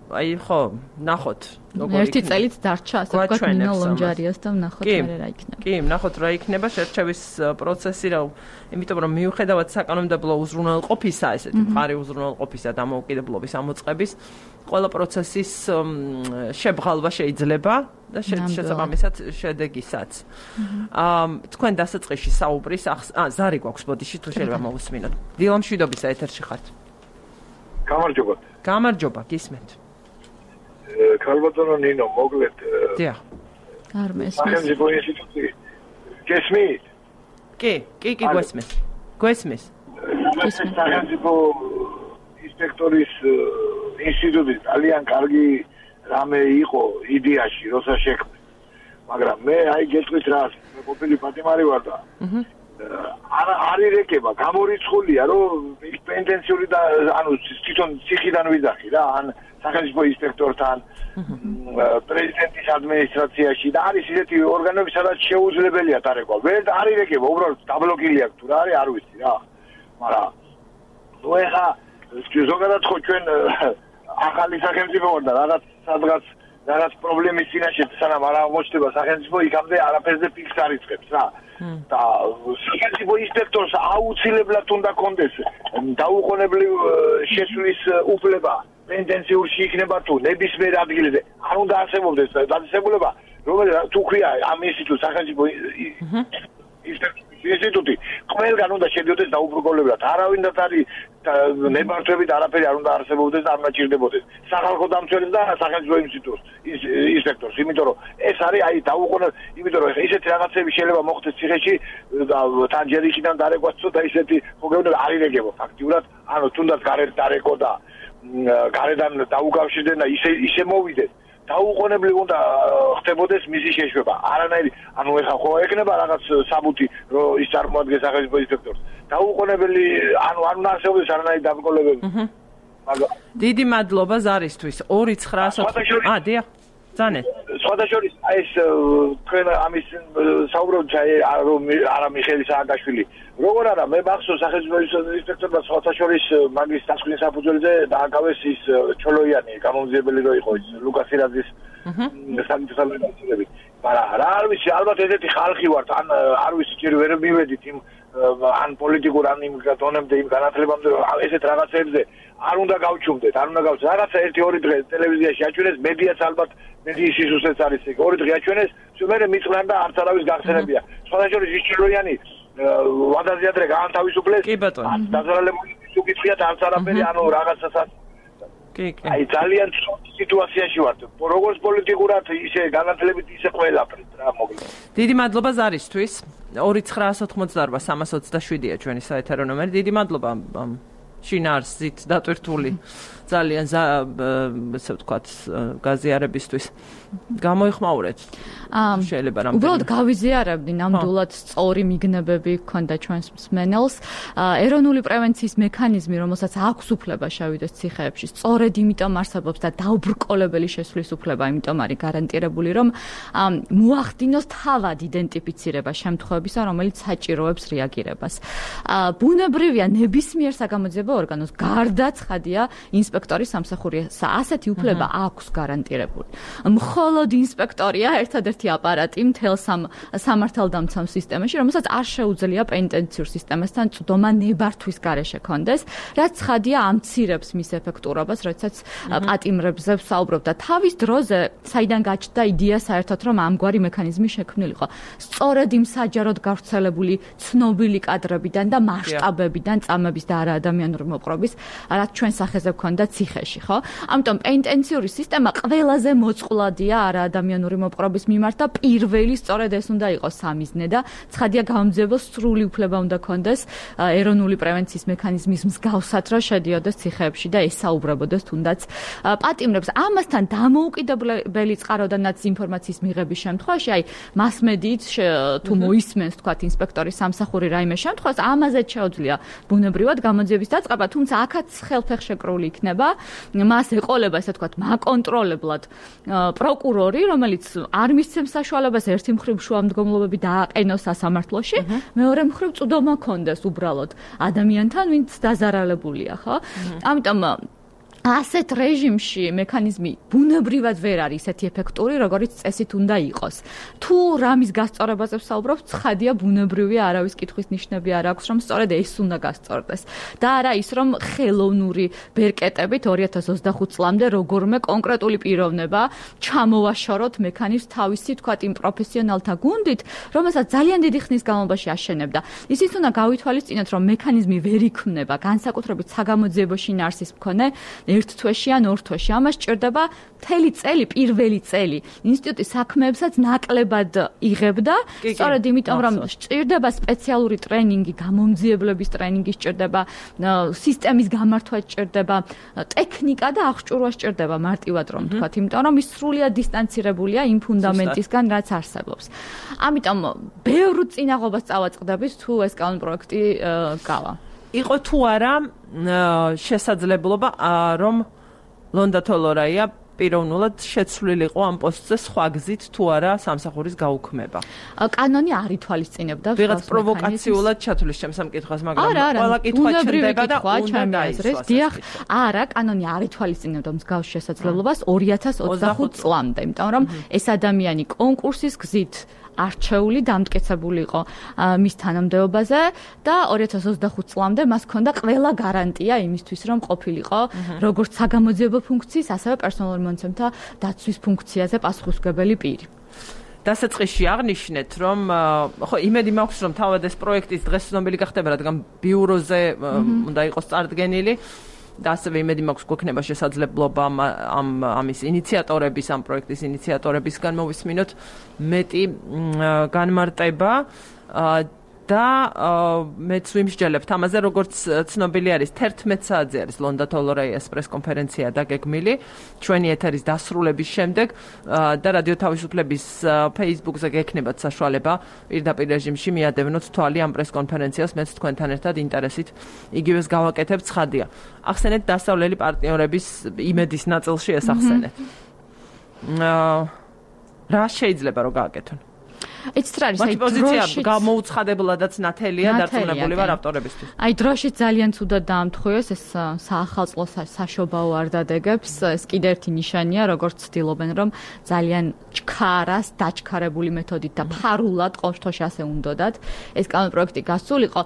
აი ხო, ნახოთ, ერთი წელიც დარჩა, ასე ვთქვათ, ნინო ლონჯარიას და ნახოთ რა იქნება. კი, ნახოთ რა იქნება შერჩევის პროცესი, იმიტომ რომ მიუხედავად საკანონმდებლო უზრუნველყოფისა, ესეთი მყარი უზრუნველყოფისა დამოუკიდებლობის ამოწყების, ყველა პროცესის შებღალვა შეიძლება და შესაბამისად შედეგისაც. თქვენ დასაწყისში საუბრის ზარი გვაქვს ბოდიში თუ შეიძლება მოვუსმინოთ. დილა მშვიდობისა ეთერში ხართ. გამარჯობა, გისმენთ. ქალბატონო ნინო, მოგლეთ. დიახ. არ მესმის. სახელმწიფო ინსტიტუტი. გესმით? კი, გვესმის. გვესმის. სახელმწიფო ინსპექტორის ინსტიტუტი ძალიან კარგი რამე იყო იდეაში, როცა შექმნა. მაგრამ მე აი გეტყვით რა, მე ყოფილი პატიმარი ვარ და არ ირეკება, გამორიცხულია, რომ პენტენციური და ანუ თვითონ ციხიდან ვიძახი რა, ან სახელმწიფო ინსპექტორთან, პრეზიდენტის ადმინისტრაციაში და არის ისეთი ორგანოები, სადაც შეუძლებელია დარეკვა. ვერ არ ირეკება, უბრალოდ დაბლოკილი აქვს თუ რა არის, არ ვიცი რა. მაგრამ ნუ ეხა ზოგადად ხო ჩვენ ახალი სახელმწიფო ვარ და რაღაც პრობლემის წინაშე სანამ არ აღმოჩნდება სახელმწიფო, იქამდე არაფერზე ფიქს არ იწყებს რა. და სახელმწიფო ინსპექტორს აუცილებლად უნდა კონდეს დაუყოვნებლივ შესვლის უფლება პენტენციურში იქნება თუ ნებისმიერ ადგილზე. არ უნდა არსებობდეს დაწესებულება, რომელიც თუ ქვია ამ ინსტიტუტს სახელმწიფო ინსტიტუტი ყველგან უნდა შედიოდეს დაუბრკოლებლად. არავინდაც არის ნებართვებით არაფერი არ უნდა არსებობდეს და არ უნდა ჭირდებოდეს. სახალხო დამცველს და სახელმწიფო ინსპექტორს, იმიტომ რომ ეს არის აი დაუყოვნებლივ, იმიტომ რომ ისეთი რაღაცები შეიძლება მოხდეს ციხეში და თან ჯერ იქიდან დარეკვაც და ისეთი მოგეუბნება არ ირეგებო ფაქტიურად, ანუ თუნდაც გარეთ დარეკო და გარედან დაუკავშირდნენ და ისე მოვიდეს. დაუყოვნებლივ უნდა ხდებოდეს მისი შეშვება. არანაირი, ანუ ეხა ხო ეკნება რაღაც საბუთი, რომ ის წარმოადგენს სახელმწიფო ინსპექტორს. დაუყოვნებელი, ანუ არ უნდა არსებობდეს არანაირი დაბრკოლებები. დიდი მადლობა ზარისთვის. 2904. დიახ. ძანეთ. სხვადასხვა ეს თქვენ ამის საუბრობთ რომ არა მიხეილ სააკაშვილი. როგორ არა, მე მახსოვს სახელმწიფო ინსპექტორმა სხვადასხვა მაგის დასკვნის საფუძველზე დააკავეს ის ჩოლოიანი გამომძიებელი რო იყო ის ლუკას ირაძის სამწუხაროდ. მაგრამ რა არ ვიცი, ალბათ ესეთი ხალხი ვართ, ან არ ვიცი, ჯერ ვერ მივედით იმ ან პოლიტიკურ ან იმ დონემდე იმ განათლებამდე ესეთ რაღაცებზე არ უნდა გავჩუმდეთ, არ უნდა გავჩუმდეთ. რაღაცა 1-2 დღე ტელევიზიაში აჩვენეს, მედიაც ალბათ მედიის სისუსეც არის ეგ. 2 დღე აჩვენეს, მე მიწვრან და არც არავის გახსენებია. სხვადასხვა ის ჩილოიანი ვადაზე ადრე გაანთავისუფლეს. კი ბატონო. დაზარალებული უკითხიათ არც არაფერი, ანუ რაღაცასაც. კი. აი ძალიან სიტუაციაში ვართ. როგორც პოლიტიკურად, ისე განათლებით, ისე ყველაფრით რა მოგვიყვება. დიდი მადლობა ზარისთვის. 2928-327-ია ჩვენი საეთერო ნომერი. დიდი მადლობა შინაარსით დატვირთული ძალიან ესე ვთქვათ გაზიარებისთვის. გამოიხმაურეთ. შეიძლება რამე. უბრალოდ გავიზიარებდი ნამდვილად სწორი მიგნებები ქონდა ჩვენს მსმენელს. ეროვნული პრევენციის მექანიზმი, რომელსაც აქვს უფლება შევიდეს ციხეებში, სწორედ იმიტომ არსებობს და დაუბრკოლებელი შესვლის უფლება, იმიტომ არის გარანტირებული, რომ მოახდინოს თავად იდენტიფიცირება შემთხვევებისა, რომელიც საჭიროებს რეაგირებას. ბუნებრივია ნებისმიერ საგამოძიებო ორგანოს გარდა ცხადია ინსპექტორის სამსახურისა. ასეთი უფლება აქვს გარანტირებული. მხოლოდ ინსპექტორია ერთადერთი აპარატი მთელ სამართალდამცავ სისტემაში, რომელსაც არ შეუძლია პენტენციურ სისტემასთან წვდომა ნებართვის გარეშე კონდეს, რაც ცხადია ამცირებს მის ეფექტურობას, როდესაც პატიმრებზე ვსაუბრობ და თავის დროზე საიდან გაჩნდა იდეა საერთოდ რომ ამგვარი მექანიზმი შექმნილიყო. სწორედ იმ საჯაროდ გავრცელებული ცნობილი კადრებიდან და მასშტაბებიდან წამების და არაადამიანური მოპყრობის, რაც ჩვენ სახეზე გვქონდა ციხეში, ხო? ამიტომ პენტენციური სისტემა ყველაზე მოწყვლადია არაადამიანური მოპყრობის მიმართ და პირველი სწორედ ეს უნდა იყოს სამიზნე და ცხადია გამომძიებელს სრული უფლება უნდა კონდეს ეროვნული პრევენციის მექანიზმის მსგავსად რომ შედიოდეს ციხეებში და ესაუბრებოდეს თუნდაც პატიმრებს. ამასთან დამოუკიდებელი წყაროდანაც ინფორმაციის მიღების შემთხვევაში, აი მასმედიით თუ მოისმენს თქვათ ინსპექტორის სამსახური რაიმე შემთხვევას, ამაზე შეუძლია ბუნებრივად გამოძიების დაწყება, თუმცა აქაც ხელფეხშეკრული იქნება, მას ეყოლება ესე თქვათ მაკონტროლებლად პროკურორი, რომელიც არ მისცემს საშუალებას ერთი მხრივ შუამდგომლობები დააყენოს სასამართლოში, მეორე მხრივ წვდომა კონდეს უბრალოდ ადამიანთან, ვინც დაზარალებულია, ხო? ამიტომ ასეთ რეჟიმში მექანიზმი ბუნებრივად ვერ არის ისეთი ეფექტური, როგორც წესით უნდა იყოს. თუ რამის გასწორებაზე ვსაუბრობ, ცხადია ბუნებრივია, არავის კითხვის ნიშნები არ აქვს, რომ სწორედ ეს უნდა გასწორდეს. და არა ის, რომ ხელოვნური ბერკეტებით 2025 წლამდე როგორმე კონკრეტული პიროვნება ჩამოვაშოროთ მექანიზმს თავისი თქვათ იმ პროფესიონალთა გუნდით, რომელსაც ძალიან დიდი ხნის განმავლობაში აშენებდა. ისიც უნდა გავითვალისწინოთ, რომ მექანიზმი ვერ იქმნება განსაკუთრებით საგამოძიებო შინაარსის მქონე ერთ თვეში ან ორ თვეში. ამას სჭირდება მთელი წელი, პირველი წელი. ინსტიტუტი საქმეებსაც ნაკლებად იღებდა, სწორედ იმიტომ, რომ სჭირდება სპეციალური ტრენინგი, გამომძიებლების ტრენინგი სჭირდება, სისტემის გამართვა სჭირდება, ტექნიკა და აღჭურვა სჭირდება მარტივად რომ თქვათ, იმიტომ რომ ის სრულიად დისტანცირებულია იმ ფუნდამენტისგან, რაც არსებობს. ამიტომ ბევრ წინაღობას წავაწყდებით თუ ეს კანონპროექტი გავა. იყო თუ არა შესაძლებლობა რომ ლონდა თოლორაია პიროვნულად შეცვლილიყო ამ პოსტზე სხვა გზით თუ არა სამსახურის გაუქმება. კანონი არ ითვალისწინებდა ვიღაც პროვოკაციულად ჩათვლის ჩემს სამკითხვას, მაგრამ ყველა კითხვა ჩნდება და უნდა დაისვას. დიახ, არა, კანონი არ ითვალისწინებდა მსგავს შესაძლებლობას 2025 წლამდე, იმიტომ რომ ეს ადამიანი კონკურსის გზით არჩეული დამტკიცებული იყო მის თანამდებობაზე და 2025 წლამდე მას ჰქონდა ყველა გარანტია იმისთვის, რომ ყოფილიყო როგორც საგამოძიებო ფუნქციის, ასევე პერსონალური მონაცემთა დაცვის ფუნქციაზე პასუხისმგებელი პირი. დასაწყისში აღნიშნეთ, რომ ხო იმედი მაქვს, რომ თავად ეს პროექტის დღეს ცნობილი გახდება, რადგან ბიუროზე უნდა იყოს წარდგენილი. და ასევე იმედი მაქვს გვექნება შესაძლებლობა ამის ინიციატორების, ამ პროექტის ინიციატორებისგან მოვისმინოთ მეტი განმარტება და მეც ვიმსჯელებთ ამაზე, როგორც ცნობილი არის 11 საათზე არის ლონდა თოლორაიას პრესკონფერენცია დაგეგმილი ჩვენი ეთერის დასრულების შემდეგ და რადიო თავისუფლების Facebook-ზე გექნებათ საშუალება პირდაპირ რეჟიმში მიადევნოთ თვალი ამ პრესკონფერენციას, მეც თქვენთან ერთად ინტერესით იგივეს გავაკეთებ. ცხადია, ახსენეთ დასავლელი პარტნიორების იმედის ნაწილში ეს ახსენეთ. რა შეიძლება რომ გააკეთონ? ეცეთ არის აი პოზიცია გამოუცხადებლადაც ნათელია დარწმუნებული ვარ ავტორებისთვის. აი დროში ძალიან ცუდად დაამთხოვეს ეს საახალწლო საშობაო არ დადეგებს. ეს კიდევ ერთი ნიშანია, როგორც ცდილობენ რომ ძალიან ჩქარას დაჩქარებული მეთოდით და ფარულად ყოველთვის ასე უნდათ ეს კანონპროექტი გასულიყო.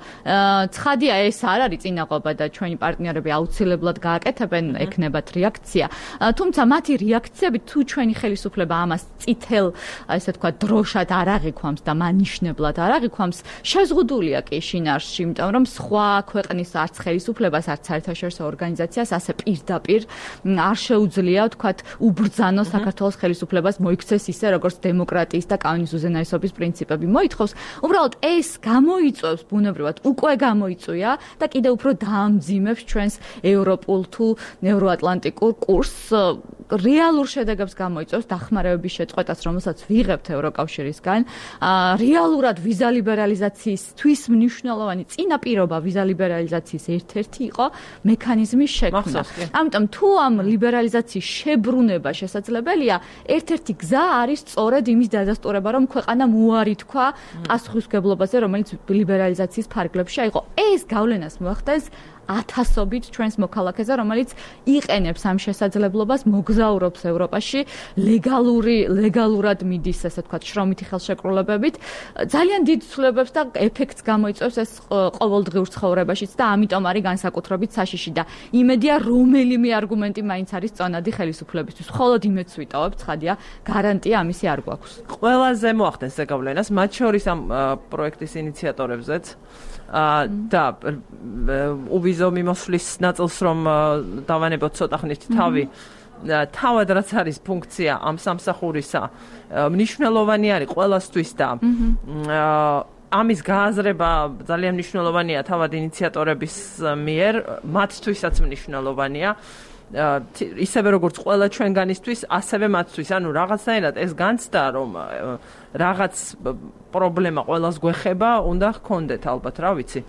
ცხადია ეს არ არის წინაღობა და ჩვენი პარტნიორები აუცილებლად გააკეთებენ, ექნებათ რეაქცია. თუმცა მათი რეაქციები თუ ჩვენი ხელისუფლება ამას წითელ ესე თქვა დროშად არ აღიქვამს და მანიშნებლად არ აღიქვამს, შეზღუდულია კი შინაარსში, იმიტომ რომ სხვა ქვეყნის არც ხელისუფლებას, არც საერთაშორისო ორგანიზაციას ასე პირდაპირ არ შეუძლია თქვათ უბრძანოს საქართველოს ხელისუფლებას მოიქცეს ისე, როგორც დემოკრატიის და კანონის უზენაესობის პრინციპები მოითხოვს. უბრალოდ ეს გამოიწვევს ბუნებრივად, უკვე გამოიწვია და კიდევ უფრო დაამძიმებს ჩვენს ევროპულ თუ ევროატლანტიკურ კურსს. რეალურ შედეგებს გამოიწვევს დახმარებების შეწყვეტას, რომელსაც ვიღებთ ევროკავშირისგან. რეალურად ვიზა ლიბერალიზაციისთვის მნიშვნელოვანი წინაპირობა ვიზა ლიბერალიზაციის ერთ-ერთი იყო მექანიზმის შექმნა. ამიტომ თუ ამ ლიბერალიზაციის შებრუნება შესაძლებელია, ერთ-ერთი გზა არის სწორედ იმის დადასტურება, რომ ქვეყანა უარი თქვა პასუხისმგებლობაზე, რომელიც ლიბერალიზაციის ფარგლებში აიღო. ეს გავლენას მოახდენს ათასობით ჩვენს მოქალაქეზე, რომელიც იყენებს ამ შესაძლებლობას, მოგზაურობს ევროპაში, ლეგალურად მიდის, ასე ვთქვათ, შრომითი ხელშეკრულებებით. ძალიან დიდ ცვლილებებს და ეფექტს გამოიწვევს ეს ყოველდღიურ ცხოვრებაშიც და ამიტომ არის განსაკუთრებით საშიში და იმედია, რომელიმე არგუმენტი მაინც არის წონადი ხელისუფლებისთვის. მხოლოდ იმედს ვიტოვებ, ცხადია, გარანტია ამისი არ გვაქვს. ყველაზე მოახდენს ზეგავლენას, მათ შორის ამ პროექტის ინიციატორებზეც და uvizო მიმოსვლის ნაწილს რომ დავანებოთ ცოტა ხნით თავი თავად რაც არის ფუნქცია ამ სამსახურისა მნიშვნელოვანი არის ყველასთვის და ამის გააზრება ძალიან მნიშვნელოვანია თავად ინიციატორების მიერ, მათთვისაც მნიშვნელოვანია. ისევე როგორც ყველა ჩვენგანისთვის, ასევე მათთვის, ანუ რაღაცნაირად ეს განცდა, რომ რაღაც პრობლემა ყველას გვეხება, უნდა ჰქონდეთ ალბათ, რა ვიცი.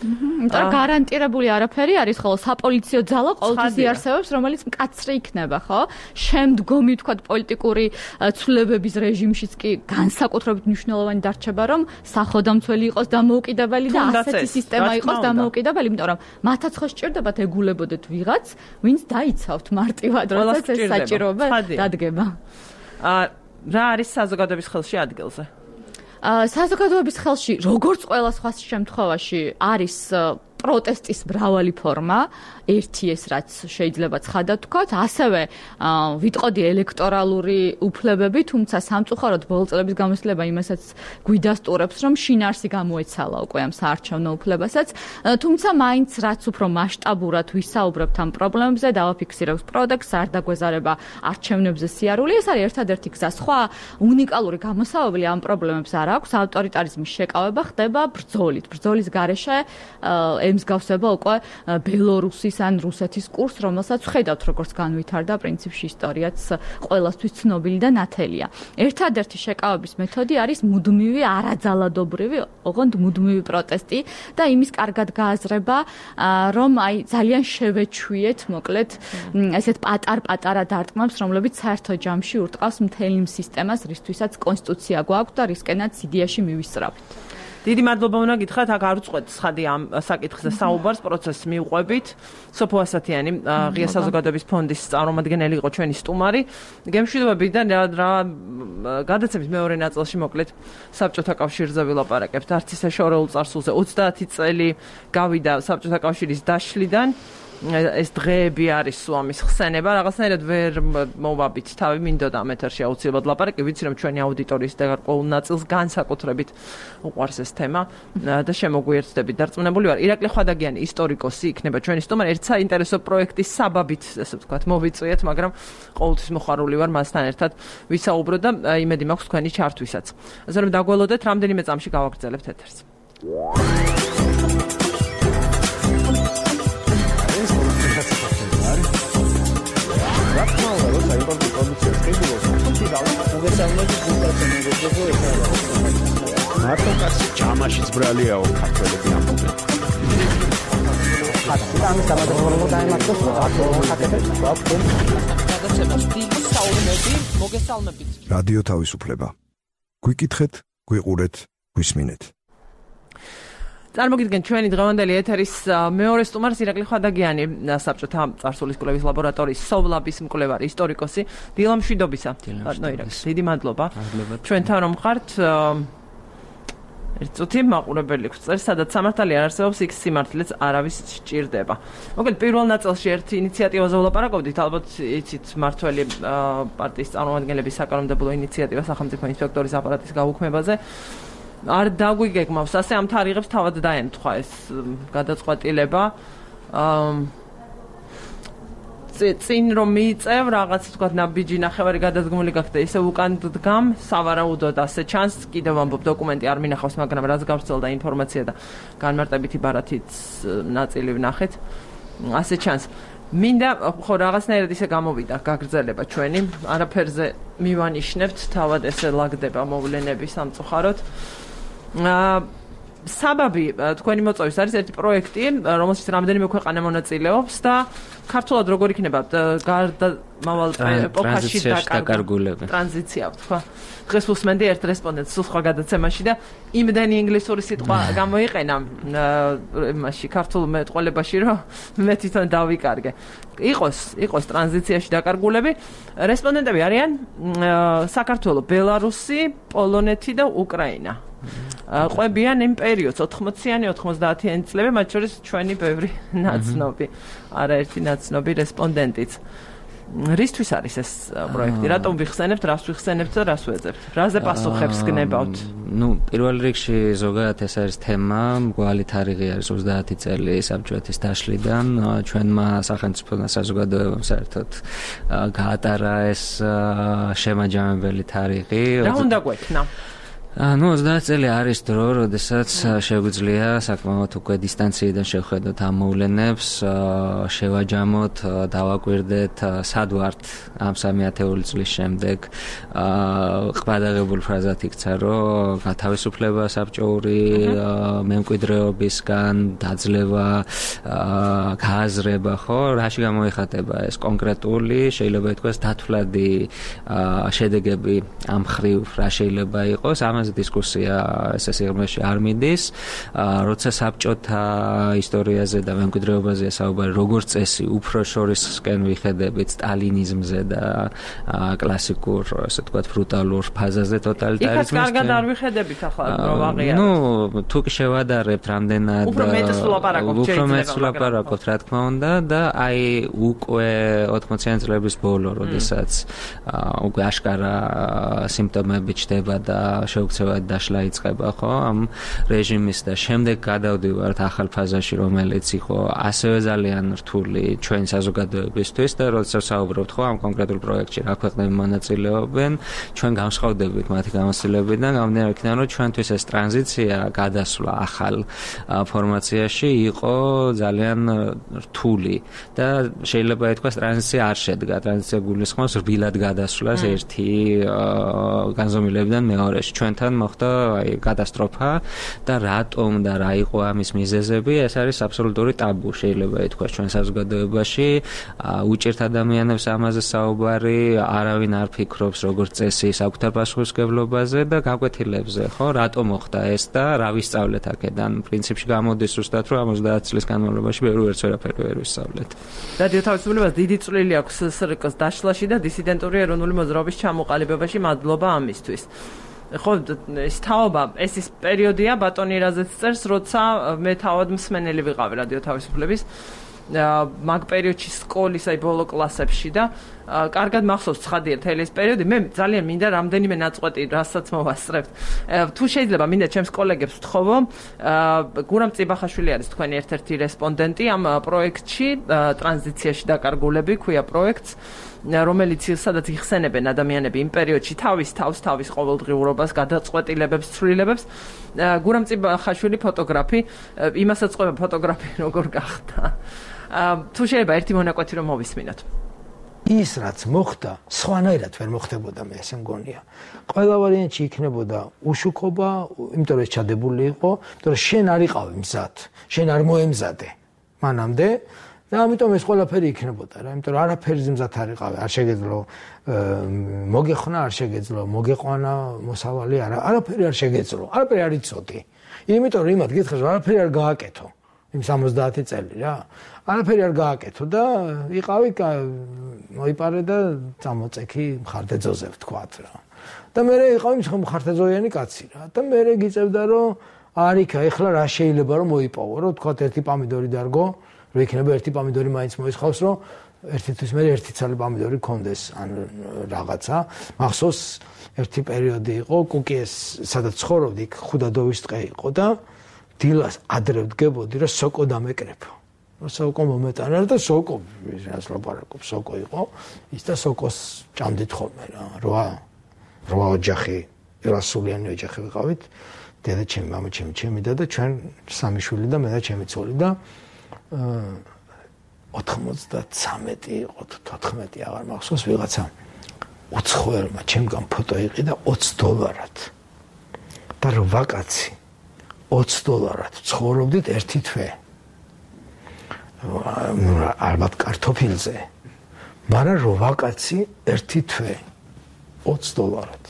და გარანტირებული არაფერი არის, ხოლო საპოლიციო ძალა ყოველთვის იარსებობს, რომელიც მკაცრი იქნება, ხო? შემდგომი თქვა პოლიტიკური ცვლილებების რეჟიმშიც კი განსაკუთრებით მნიშვნელოვანი დარჩება, რომ საходამცველი იყოს დამოუკიდებელი და ასეთი სისტემა იყოს დამოუკიდებელი, იმიტომ რომ მათაც ხო სჭირდებათ ეგულებოდეთ ვიღაც, ვინც დაიცავთ მარტივად, როდესაც ეს საჭიროება დადგება. რა არის საზოგადოების ხელში ადგილზე? საზოგადოების ხელში, როგორც ყველა სხვა შემთხვევაში, არის პროტესტის მრავალი ფორმა, ერთი ეს რაც შეიძლება ცხადად ვთქვათ, ასევე ვიტყოდი ელექტორალური უფლებები, თუმცა სამწუხაროდ ბოლო წლების გამოცდილება იმასაც გვიდასტურებს, რომ შინაარსი გამოეცალა უკვე ამ საარჩევნო უფლებასაც, თუმცა მაინც რაც უფრო მასშტაბურად ვისაუბრებთ ამ პრობლემებზე, დავაფიქსირებთ პროდუქტს, არ დაგვეზარება არჩევნებზე სიარული, ეს არის ერთადერთი გზა. სხვა უნიკალური გამოსავალი ამ პრობლემებს არ აქვს, ავტორიტარიზმის შეკავება ხდება ბრძოლით. ბრძოლის გარეშე ემსგავსება უკვე ბელორუსის ან რუსეთის კურსს, რომელსაც ხედავთ, როგორც განვითარდა პრინციპში ისტორიაც ყველასთვის ცნობილი და ნათელია. ერთადერთი შეკავების მეთოდი არის მუდმივი არაძალადობრივი, ოღონდ მუდმივი პროტესტი და იმის კარგად გააზრება, რომ აი ძალიან შევეჩვიეთ, მოკლედ, ესეთ პატარ-პატარა დარტყმებს, რომლებიც საერთო ჯამში ურტყავს მთელ იმ სისტემას, რისთვისაც კონსტიტუცია გვაქვს და რისკენაც იდეაში მივისწრაფით. დიდი მადლობა უნდა გითხრათ, აქ არ უწყვეტ ცხადი ამ საკითხზე საუბარს, პროცესს მივყვებით. სოფო ასათიანი, ღია საზოგადოების ფონდის წარმომადგენელი იყო ჩვენი სტუმარი. გემშვიდობებიდან რა გადაცემის მეორე ნაწილში მოკლედ საბჭოთა კავშირზე ვილაპარაკებთ. არც ისე შორეულ წარსულზე 30 წელი გავიდა საბჭოთა კავშირის დაშლიდან. ეს დღეები არის სუამის ხსენება, რაღაცნაირად ვერ მოვაბით თავი, მინდოდა ამ ეთერში აუცილებლად ლაპარაკი, ვიცი რომ ჩვენი აუდიტორიის გარკვეულ ნაწილს განსაკუთრებით უყვარს ეს თემა და შემოგვიერთდებით. დარწმუნებული ვარ, ირაკლი ხვადაგიანი ისტორიკოსი იქნება ჩვენი სტუმარი, ერთ საინტერესო პროექტის საბაბით, ესე ვთქვათ, მოვიწვიეთ, მაგრამ ყოველთვის მოხარული ვარ მასთან ერთად ვისაუბრო და იმედი მაქვს თქვენი ჩართვისაც. ასე რომ დაგველოდეთ, რამდენიმე წამში გავაგრძელებთ ეთერს. მარტო კაცი ჯამაშიც ბრალიაო ქართველები ამბობენ. რადიო თავისუფლება. გვიკითხეთ, გვიყურეთ, გვისმინეთ. წარმოგიდგენთ ჩვენი დღევანდელი ეთერის მეორე სტუმარს ირაკლი ხვადაგიანი, საბჭოთა წარსულის კვლევის ლაბორატორიის სოვლაბის მკვლევარი, ისტორიკოსი. დილა მშვიდობისა. დიდი მადლობა. ჩვენთან რომ ხართ, ერთ წუთი მაყურებელი გვწერს, სადაც სამართალი არ არსებობს, იქ სიმართლეც არავის სჭირდება. მოკლედ პირველ ნაწილში ერთი ინიციატივაზე ვლაპარაკობდით, ალბათ იცით მართველი პარტიის წარმომადგენლების საკანონმდებლო ინიციატივა სახელმწიფო ინსპექტორის აპარატის გაუქმებაზე. არ დაგვიგეგმავს, ასე ამ თარიღებს თავად დაემთხვა ეს გადაწყვეტილება. წინ რომ მიიწევ რაღაც თქვა ნაბიჯი ნახევარი გადადგმული გახდა, ისე უკან დგამ, სავარაუდოდ ასე ჩანს, კიდევ ამბობ დოკუმენტი არ მინახავს, მაგრამ რაც გავრცელდა ინფორმაცია და განმარტებითი ბარათიც ნაწილი ვნახეთ, ასე ჩანს. მინდა ხო რაღაცნაირად ისე გამოვიდა გაგრძელება ჩვენი, არაფერზე მივანიშნებთ, თავად ესე ლაგდება მოვლენები სამწუხაროდ. საბაბი თქვენი მოწვევის არის ერთი პროექტი, რომელშიც რამდენიმე ქვეყანა მონაწილეობს და ქართულად როგორ იქნება გარდამავალ ეპოქაში დაკარგულები. ტრანზიცია ვთქვა. დღეს უსმენდი ერთ რესპონდენტს სხვა გადაცემაში და იმდენი ინგლისური სიტყვა გამოიყენა იმაში ქართულ მეტყველებაში, რომ მე თვითონ დავიკარგე. იყოს ტრანზიციაში დაკარგულები. რესპონდენტები არიან საქართველო, ბელარუსი, პოლონეთი და უკრაინა. ყვებიან იმ პერიოდს 80-იანი 90-იანი წლები, მათ შორის ჩვენი ბევრი ნაცნობი, არაერთი ნაცნობი რესპონდენტიც. რისთვის არის ეს პროექტი? რატომ ვიხსენებთ, რას ვიხსენებთ და რას ვეძებთ? რაზე პასუხებს გნებავთ? პირველ რიგში ზოგადად ეს არის თემა, მგვალი თარიღი არის 30 წელი საბჭოეთის დაშლიდან, ჩვენმა სახელმწიფო საზოგადოებამ საერთოდ გაატარა ეს შემაჯამებელი თარიღი. რა უნდა გვექნა? ну 30 წელი არის დრო, როდესაც შეგვიძლია საკმაოდ უკვე დისტანციიდან შევხედოთ ამ მოვლენებს, შევაჯამოთ, დავაკვირდეთ, სად ვართ ამ 30 წლის შემდეგ. ყბადაღებული ფრაზად იქცა, რომ გათავისუფლება საბჭოური მემკვიდრეობისგან, დაძლევა, გააზრება, ხო, რაში გამოიხატება ეს კონკრეტული, შეიძლება ითქვას დათვლადი შედეგები ამ ხრივ რა შეიძლება იყოს. ამაზე დისკუსია ესე სიღრმეში არ მიდის, როცა საბჭოთა ისტორიაზე და მემკვიდრეობაზეა საუბარი, როგორც წესი, უფრო შორისკენ ვიხედებით სტალინიზმზე და კლასიკურ, ასე ვთქვათ, ბრუტალურ ფაზაზე ტოტალიტარიზმის. იქაც კარგად არ ვიხედებით ახლა რომ აღიაროთ. ну, თუ კი შევადარებთ რამდენად უფრო მეტს ვლაპარაკობთ, რა თქმა უნდა და აი უკვე 80-იან წლების ბოლო, როდესაც უკვე აშკარა სიმპტომები ჩდება და შეუქცევად დაშლა იწყება, ხო, ამ რეჟიმის და შემდეგ გადავდივართ ახალ ფაზაში, რომელიც იყო ასევე ძალიან რთული ჩვენ საზოგადოებისთვის და როდესაც საუბრობთ, ხო, ამ კონკრეტულ პროექტში რა ქვეყნები მონაწილეობენ, ჩვენ გამსხავდებით მათი გამოცდილებიდან, გამომდინარე იქიდან, რომ ჩვენთვის ეს ტრანზიცია, გადასვლა ახალ ფორმაციაში იყო ძალიან რთული და შეიძლება ითქვას ტრანზიცია არ შედგა, ტრანზიცია გულისხმობს რბილად გადასვლას ერთი განზომილებიდან მეორეში. ჩვენთან მოხდა აი კატასტროფა და რატომ და რა იყო ამის მიზეზები, ეს არის აბსოლუტური ტაბუ, შეიძლება ითქვას ჩვენ საზოგადოებაში. უჭირთ ადამიანებს ამაზე საუბარი, არავინ არ ფიქრობს როგორც წესი საკუთარ პასუხისმგებლობაზე და გაკვეთილებზე, ხო, რატომ მოხდა ეს და რა ვისწავლეთ აქედან. პრინციპში გამოდის ზუსტად, რომ 30 წლის განმავლობაში ვერც ვერაფერი ვერ ვისწავლეთ. რადიო თავისუფლებას დიდი წვლილი აქვს SRK-ს დაშლაში და დისიდენტური ეროვნული მოძრაობის ჩამოყალიბებაში. მადლობა ამისთვის. ხო, ეს თაობა, ეს ის პერიოდია, ბატონი რაზეც წერს, როცა მე თავად მსმენელი ვიყავი რადიო თავისუფლების მაგ პერიოდში სკოლის აი ბოლო კლასებში და კარგად მახსოვს ცხადია მთელი ეს პერიოდი. მე ძალიან მინდა რამდენიმე ნაწყვეტი რასაც მოვასწრებთ. თუ შეიძლება მინდა ჩემს კოლეგებს ვთხოვო, გურამ წიბახაშვილი არის თქვენი ერთ-ერთი რესპონდენტი ამ პროექტში, ტრანზიციაში დაკარგულები ქვია პროექტს, რომელიც სადაც იხსენებენ ადამიანები იმ პერიოდში თავის ყოველდღიურობას, გადაწყვეტილებებს, ცვლილებებს. გურამ წიბახაშვილი ფოტოგრაფი, იმასაც ყვება ფოტოგრაფი როგორ გახდა. თუ შეიძლება ერთი მონაკვეთი რომ მოვისმინოთ. ის რაც მოხდა, სხვანაირად ვერ მოხდებოდა, მე ესე მგონია. ყველა ვარიანტში იქნებოდა უშუქობა, იმიტომ რომ ეს ჩადებული იყო, იმიტომ რომ შენ არ იყავი მზად, შენ არ მოემზადე მანამდე და ამიტომ ეს ყველაფერი იქნებოდა რა, იმიტომ რომ არაფერი მზად არ იყავი, არ შეგეძლო მოგეხნა, არ შეგეძლო მოგეყვანა მოსავალი, არაფერი არ შეგეძლო, არაფერი არ იცოდი. იმიტომ რომ იმათ გითხრა, არაფერი არ გააკეთო. იმ 70 წელი რა. არაფერი არ გააკეთო და იყავი მოიპარე და წამოწექი მხარდაძოზე ვთქვათ რა. და მე იყავი მხარდაძოიანი კაცი რა. და მე გიწევდა რომ არიქა, ეხლა რა შეიძლება რომ მოიპოვო, რომ ვთქვათ ერთი პამიდორი დარგო, რომ იქნება ერთი პამიდორი მაინც მოისხავს, რომ ერთთვის მე ერთი ცალი პამიდორი კონდეს ან რაღაცა. მახსოვს ერთი პერიოდი იყო, კუკიეს სადაც ცხოვრობდი, ხუდადოვის ტყე იყო და დილას ადრე ვდგებოდი, რომ სოკო დამეკრეფო. სოკო მომეტანა და სოკო ის ლაპარაკობს, სოკო იყო. ის და სოკოს ჭამდით ხოლმე რა. 8 ოჯახი, ერასულიანი ოჯახი ვიყავით. დედა ჩემი, მამა ჩემი და ჩვენ სამი შვილი და მე და ჩემი ცოლი და 93 იყო, 14 აღარ მახსოვს ვიღაცა უცხოელმა ჩემგან ფოტო იყიდა $20 და რო ვაკაცი $20 ცხოვრობდით ერთი თვე. ალბათ კარტოფილზე. მაგრამ რო ვაკაცი ერთი თვე $20.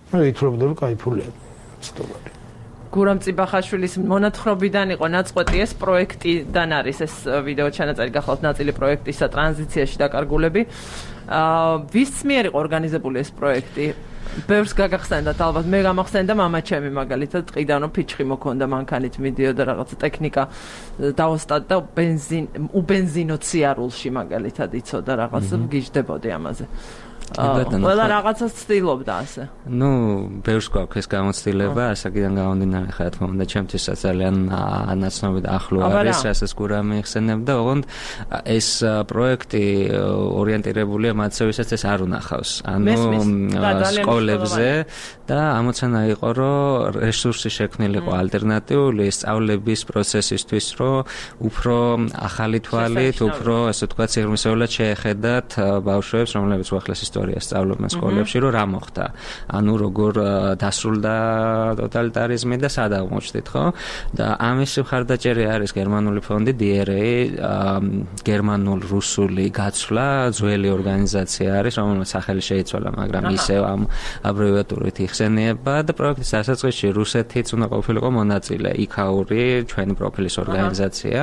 მე ვითხრობდი რომ кай ფულია $20. გურამ წიბახაშვილის მონათხრობიდან იყო ნაწყვეტი ეს პროექტიდან არის ეს ვიდეო ჩანაწერი გახლავთ ნაწილი პროექტისა ტრანზიციაში დაკარგულები. ვის მიერ იყო ორგანიზებული ეს პროექტი? ბევრს გაგახსენდათ ალბათ, მე გამახსენდა მამა ჩემი მაგალითად, ტყიდან რომ ფიჩხი მოქონდა მანქანით მიდიოდა რაღაცა ტექნიკა დაოსტად და უბენზინო ციარულში მაგალითად იცოდა რაღაცა გიждდებოდი ამაზე. ყველა რაღაცას ცდილობდა ასე. ნუ ბევრს გვაქვს ეს გამოცდილება, ასაკიდან გამომდინარე ხა თქმა უნდა, ჩემთვისაც ძალიან ანაცნობი და ახლო არის, რასაც გურამი იხსენებდა, ოღონდ ეს პროექტი ორიენტირებულია მათზე, ვისაც ეს არ უნახავს. ანუ სკოლებზე და ამოცანა იყო, რომ რესურსი შექმნილიყო ალტერნატიული სწავლების პროცესისთვის, რომ უფრო ახალი თვალით, უფრო ასე ვთქვათ, სიღრმისეულად შეეხედათ ბავშვებს, რომლებიც უახლეს ისტორიას სწავლობენ სკოლებში, რომ რა მოხდა. ანუ როგორ დასრულდა ტოტალიტარიზმი და სად აღმოჩნდით, ხო? და ამის მხარდაჭერი არის გერმანული ფონდი DRA, გერმანულ-რუსული გაცვლა, ძველი ორგანიზაცია არის, რომელსაც სახელი შეიცვალა, მაგრამ ისევ ამ აბრევიატურით იხსენიება და პროექტის დასაწყისში რუსეთიც უნდა ყოფილიყო მონაწილე, იქაური ჩვენი პროფილის ორგანიზაცია,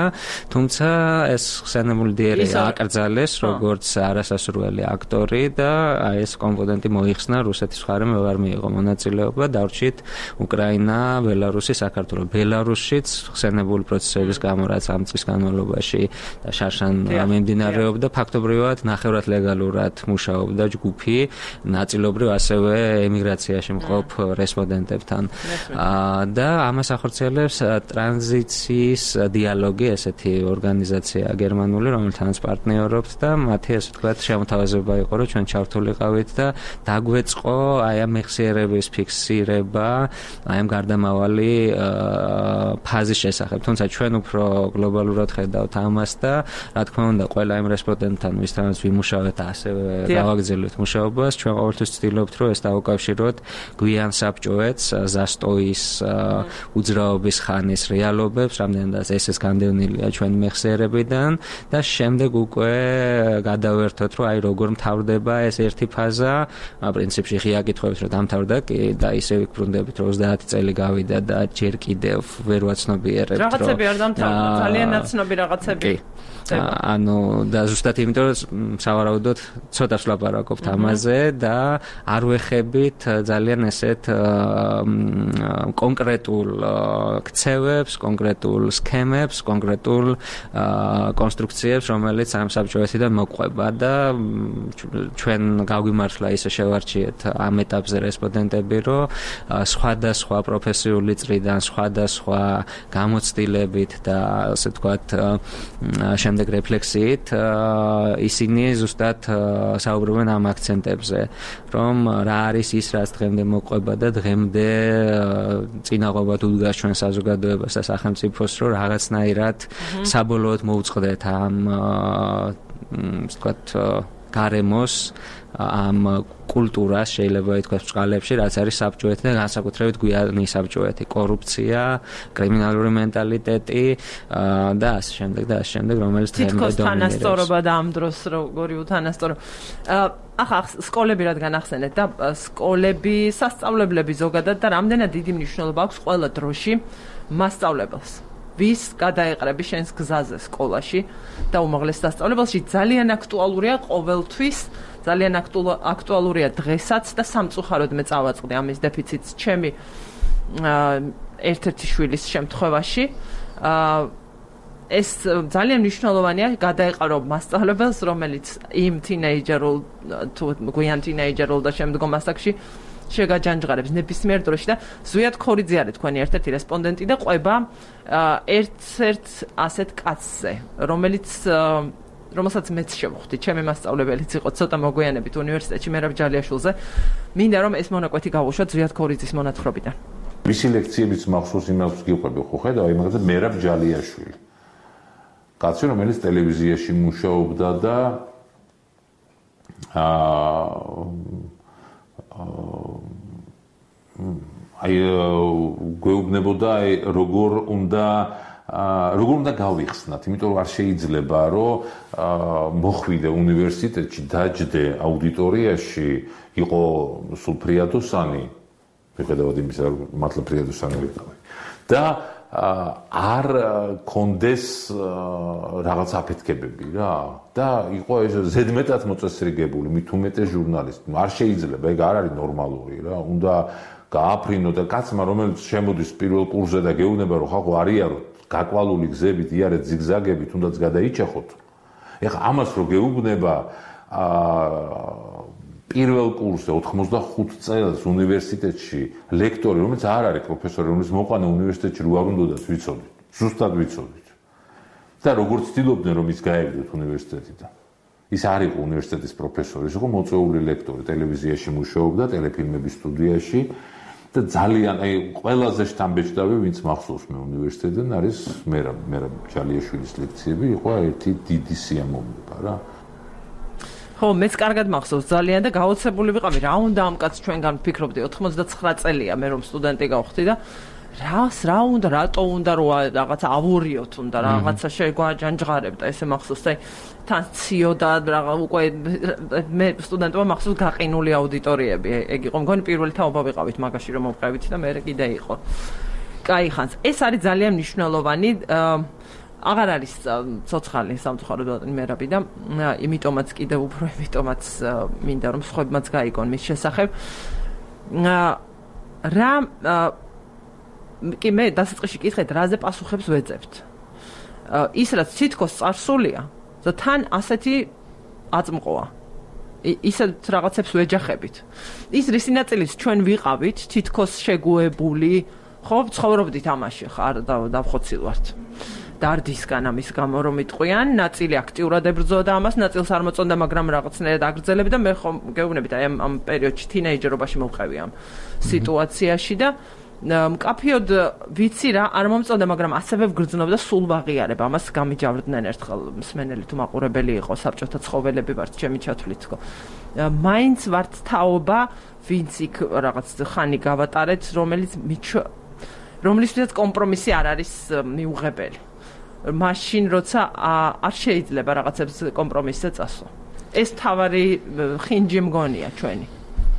თუმცა ეს ხსენებული DRA აკრძალეს როგორც არასასურველი აქტორი და ეს კომპონენტი მოიხსნა რუსეთის მხარემ ვეღარ მიიღო მონაწილეობა, დარჩით უკრაინა, ბელარუსი, საქართველო. ბელარუსშიც ხსენებული პროცესების გამო რაც ამ წლის განმავლობაში და შარშან მიმდინარეობდა, ფაქტობრივად ნახევრად ლეგალურად მუშაობდა ჯგუფი, ნაწილობრივ ასევე ემიგრაციაში მყოფ რესპონდენტებთან. და ამას ახორციელებს ტრანზიციის დიალოგი, ესეთი ორგანიზაცია გერმანული, რომელთანაც პარტნიორობთ და მათი ასე ვთქვათ შემოთავაზება იყო, რომ ჩვენ ჩავთვლიყავით და დაგვეწყო აი ამ მეხსიერების ფიქსირება, აი ამ გარდამავალი ფაზის შესახებ. თუმცა ჩვენ უფრო გლობალურად ხედავთ ამას და რა თქმა უნდა, ყველა იმ რესპონდენტთან, ვისთანაც ვიმუშავეთ, ასევე გავაგრძელებთ მუშაობას, ჩვენ ყოველთვის ვცდილობთ, რომ ეს დავუკავშიროთ გვიან საბჭოეთს, ზასტოის უძრაობის ხანის რეალობებს, რამდენადაც ეს განდევნილია ჩვენი მეხსიერებიდან და შემდეგ უკვე გადავერთოთ, რომ აი როგორ მთავრდება ეს ერთი ფაზა, პრინციპში ღია კითხვებით რომ დამთავრდა კი და ისე ვიბრუნდებით, რომ 30 წელი გავიდა და ჯერ კიდევ ვერ ვაცნობიერებთ, რომ რაღაცები არ დამთავრდა, ძალიან ნაცნობი რაღაცები. ანუ და ზუსტად იმიტომ რომ სავარაუდოდ ცოტას ვლაპარაკობთ ამაზე და არ ვეხებით ძალიან ესეთ კონკრეტულ ქცევებს, კონკრეტულ სქემებს, კონკრეტულ კონსტრუქციებს, რომელიც ამ საბჭოეთიდან მოყვება და ჩვენ გავგიმართლა ისე შევარჩიეთ ამ ეტაპზე რესპონდენტები, რომ სხვადასხვა პროფესიული წრიდან, სხვადასხვა გამოცდილებით და ასე ვთქვათ შემდეგ რეფლექსიით ისინი ზუსტად საუბრობენ ამ აქცენტებზე, რომ რა არის ის, რაც დღემდე მოყვება და დღემდე წინაღობად უდგას ჩვენ საზოგადოებას და სახელმწიფოს, რომ რაღაცნაირად საბოლოოდ მოუწყდეთ ამ ვთქვათ გარემოს, ამ კულტურას შეიძლება ითქვას ბრძყალებში, რაც არის საბჭოეთი და განსაკუთრებით გვიანი საბჭოეთი, კორუფცია, კრიმინალური მენტალიტეტი და ასე შემდეგ, რომელიც დღემდე დომინირებს. თითქოს თანასწორობა და ამ დროს როგორი უთანასწორობა. ახლა სკოლები რადგან ახსენეთ და სკოლები, სასწავლებლები ზოგადად და რამდენად დიდი მნიშვნელობა აქვს ყველა დროში მასწავლებელს. ვის გადაეყრები შენს გზაზე სკოლაში და უმაღლეს სასწავლებელში ძალიან აქტუალურია ყოველთვის, ძალიან აქტუალურია დღესაც და სამწუხაროდ მე წავაწყდი ამის დეფიციტს ჩემი ერთ-ერთი შვილის შემთხვევაში. ეს ძალიან მნიშვნელოვანია გადაეყარო მასწავლებელს, რომელიც იმ თინეიჯერულ თუ გვიან თინეიჯერულ და შემდგომ ასაკში შეგაჯანჯღარებს ნებისმიერ დროში და ზვიად ქორიძე არის თქვენი ერთ-ერთი რესპონდენტი და ყვება ერთ-ერთ ასეთ კაცზე, რომელსაც მეც შევხვდი, ჩემი მასწავლებელიც იყო ცოტა მოგვიანებით უნივერსიტეტში მერაბ ჯალიაშვილზე. მინდა რომ ეს მონაკვეთი გავუშვათ ზვიად ქორიძის მონათხრობიდან. მისი ლექციებიც მახსოვს იმას გიყვები, ხო ხედავ, იმაზე მერაბ ჯალიაშვილი. კაცი, რომელიც ტელევიზიაში მუშაობდა და აი გვეუბნებოდა როგორ უნდა გავიხსნათ, იმიტომ რომ არ შეიძლება რომ მოხვიდე უნივერსიტეტში, დაჯდე აუდიტორიაში, იყო სულ ფრიადოსანი, მიხედავად იმისა, რომ მართლა ფრიადოსანი ვიყავი. და არ კონდეს რაღაც აფეთქებები რა და იყო ეს ზედმეტად მოწესრიგებული, მით უმეტეს ჟურნალისტი. არ შეიძლება, ეგ არ არის ნორმალური რა. უნდა გააფრინო და კაცმა, რომელიც შემოდის პირველ კურსზე და გეუბნება, რომ ხახო არიაროთ გაკვალული გზებით, იარეთ ზიგზაგები, თუნდაც გადაიჭახოთ. ეხლა ამას რო გეუბნება პირველ კურსზე 85 წელს უნივერსიტეტში ლექტორი, რომელიც არ არის პროფესორი, რომელიც მოყვანა უნივერსიტეტში რო არ უნდათ ვიცოდით. ზუსტად ვიცოდით. და როგორც ცდილობდნენ რომ ის გაეგდოთ უნივერსიტეტიდან. ის არ იყო უნივერსიტეტის პროფესორი, ის იყო მოწვეული ლექტორი, ტელევიზიაში მუშაობდა, ტელეფილმების სტუდიაში და ძალიან ყველაზე შთამბეჭდავი, ვინც მახსოვს მე უნივერსიტეტიდან არის მერაბ ჯალიაშვილის ლექციები, იყო ერთი დიდი სიამოვნება რა. ხო, მეც კარგად მახსოვს ძალიან და გაოცებული ვიყავი, რა უნდა ამ კაცს ჩვენგან ვფიქრობდი, 99 წელია მე რომ სტუდენტი გავხდი და რა უნდა, რატო უნდა რომ რაღაცა ავურიოთ, უნდა რაღაცა შეგვაჯანჯღარებდა, ესე მახსოვს, აი თან ციოდა რაღა უკვე მე სტუდენტობა მახსოვს გაყინული აუდიტორიები, ეგ იყო მგონი პირველი თაობა ვიყავით მაგაში რომ მოვყევით და მე კიდე იყო. კაი ხანს. ეს არის ძალიან მნიშვნელოვანი აღარ არის ცოცხალი სამწუხაროდ მერაბი და იმიტომაც კიდე უფრო იმიტომაც მინდა რომ სხვებმაც გაიგონ მის შესახებ. რა კი მე დასაწყისში კითხეთ, რაზე პასუხებს ვეძებთ. ის რაც თითქოს წარსულია და თან ასეთი აწმყოა. ისეთ რაღაცებს ვეჯახებით. ის რისი ნაწილიც ჩვენ ვიყავით, თითქოს შეგუებული, ხო, ცხოვრობდით ამაში, ხარ დავხოცილ ვართ. დარდისგან ამის გამო რომ იტყვიან, ნაწილი აქტიურად ებრძოდა ამას, ნაწილს არ მოწონდა, მაგრამ რაღაცნაირად აგრძელებდა და მე ხომ გეუბნებით, აი ამ პერიოდში თინეიჯერობაში მოვყევი ამ სიტუაციაში და მკაფიოდ ვიცი რა არ მომწონდა, მაგრამ ასევე ვგრძნობდა სულ ვაღიარებ ამას გამიჯავრდნენ ერთხელ მსმენელი თუ მაყურებელი იყო საბჭოთა ცხოველები ვართ ჩემი ჩათვლით თქო. მაინც ვართ თაობა, ვინც იქ რაღაც ხანი გავატარეთ, რომლისთვისაც კომპრომისი არ არის მიუღებელი. მაშინ როცა არ შეიძლება რაღაცებს კომპრომისზე წასვლა. ეს თავარი ხინჯი მგონია ჩვენი.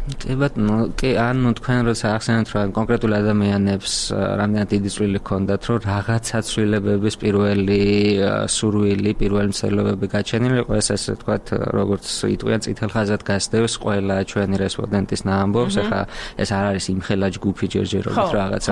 კი ბატონო, კი ანუ თქვენ როცა ახსენეთ რომ კონკრეტულ ადამიანებს რამდენად დიდი წვლილი ჰქონდათ, რომ რაღაცა ცვლილებების პირველი სურვილი, პირველი მცდელობები გაჩენილი იყო, ესე ვთქვათ, როგორც იტყვიან წითელ ხაზად გასდევს ყველა ჩვენი რესპონდენტის ამბობს, ახლა ეს არ არის იმხელა ჯგუფი ჯერჯერობით რაღაცა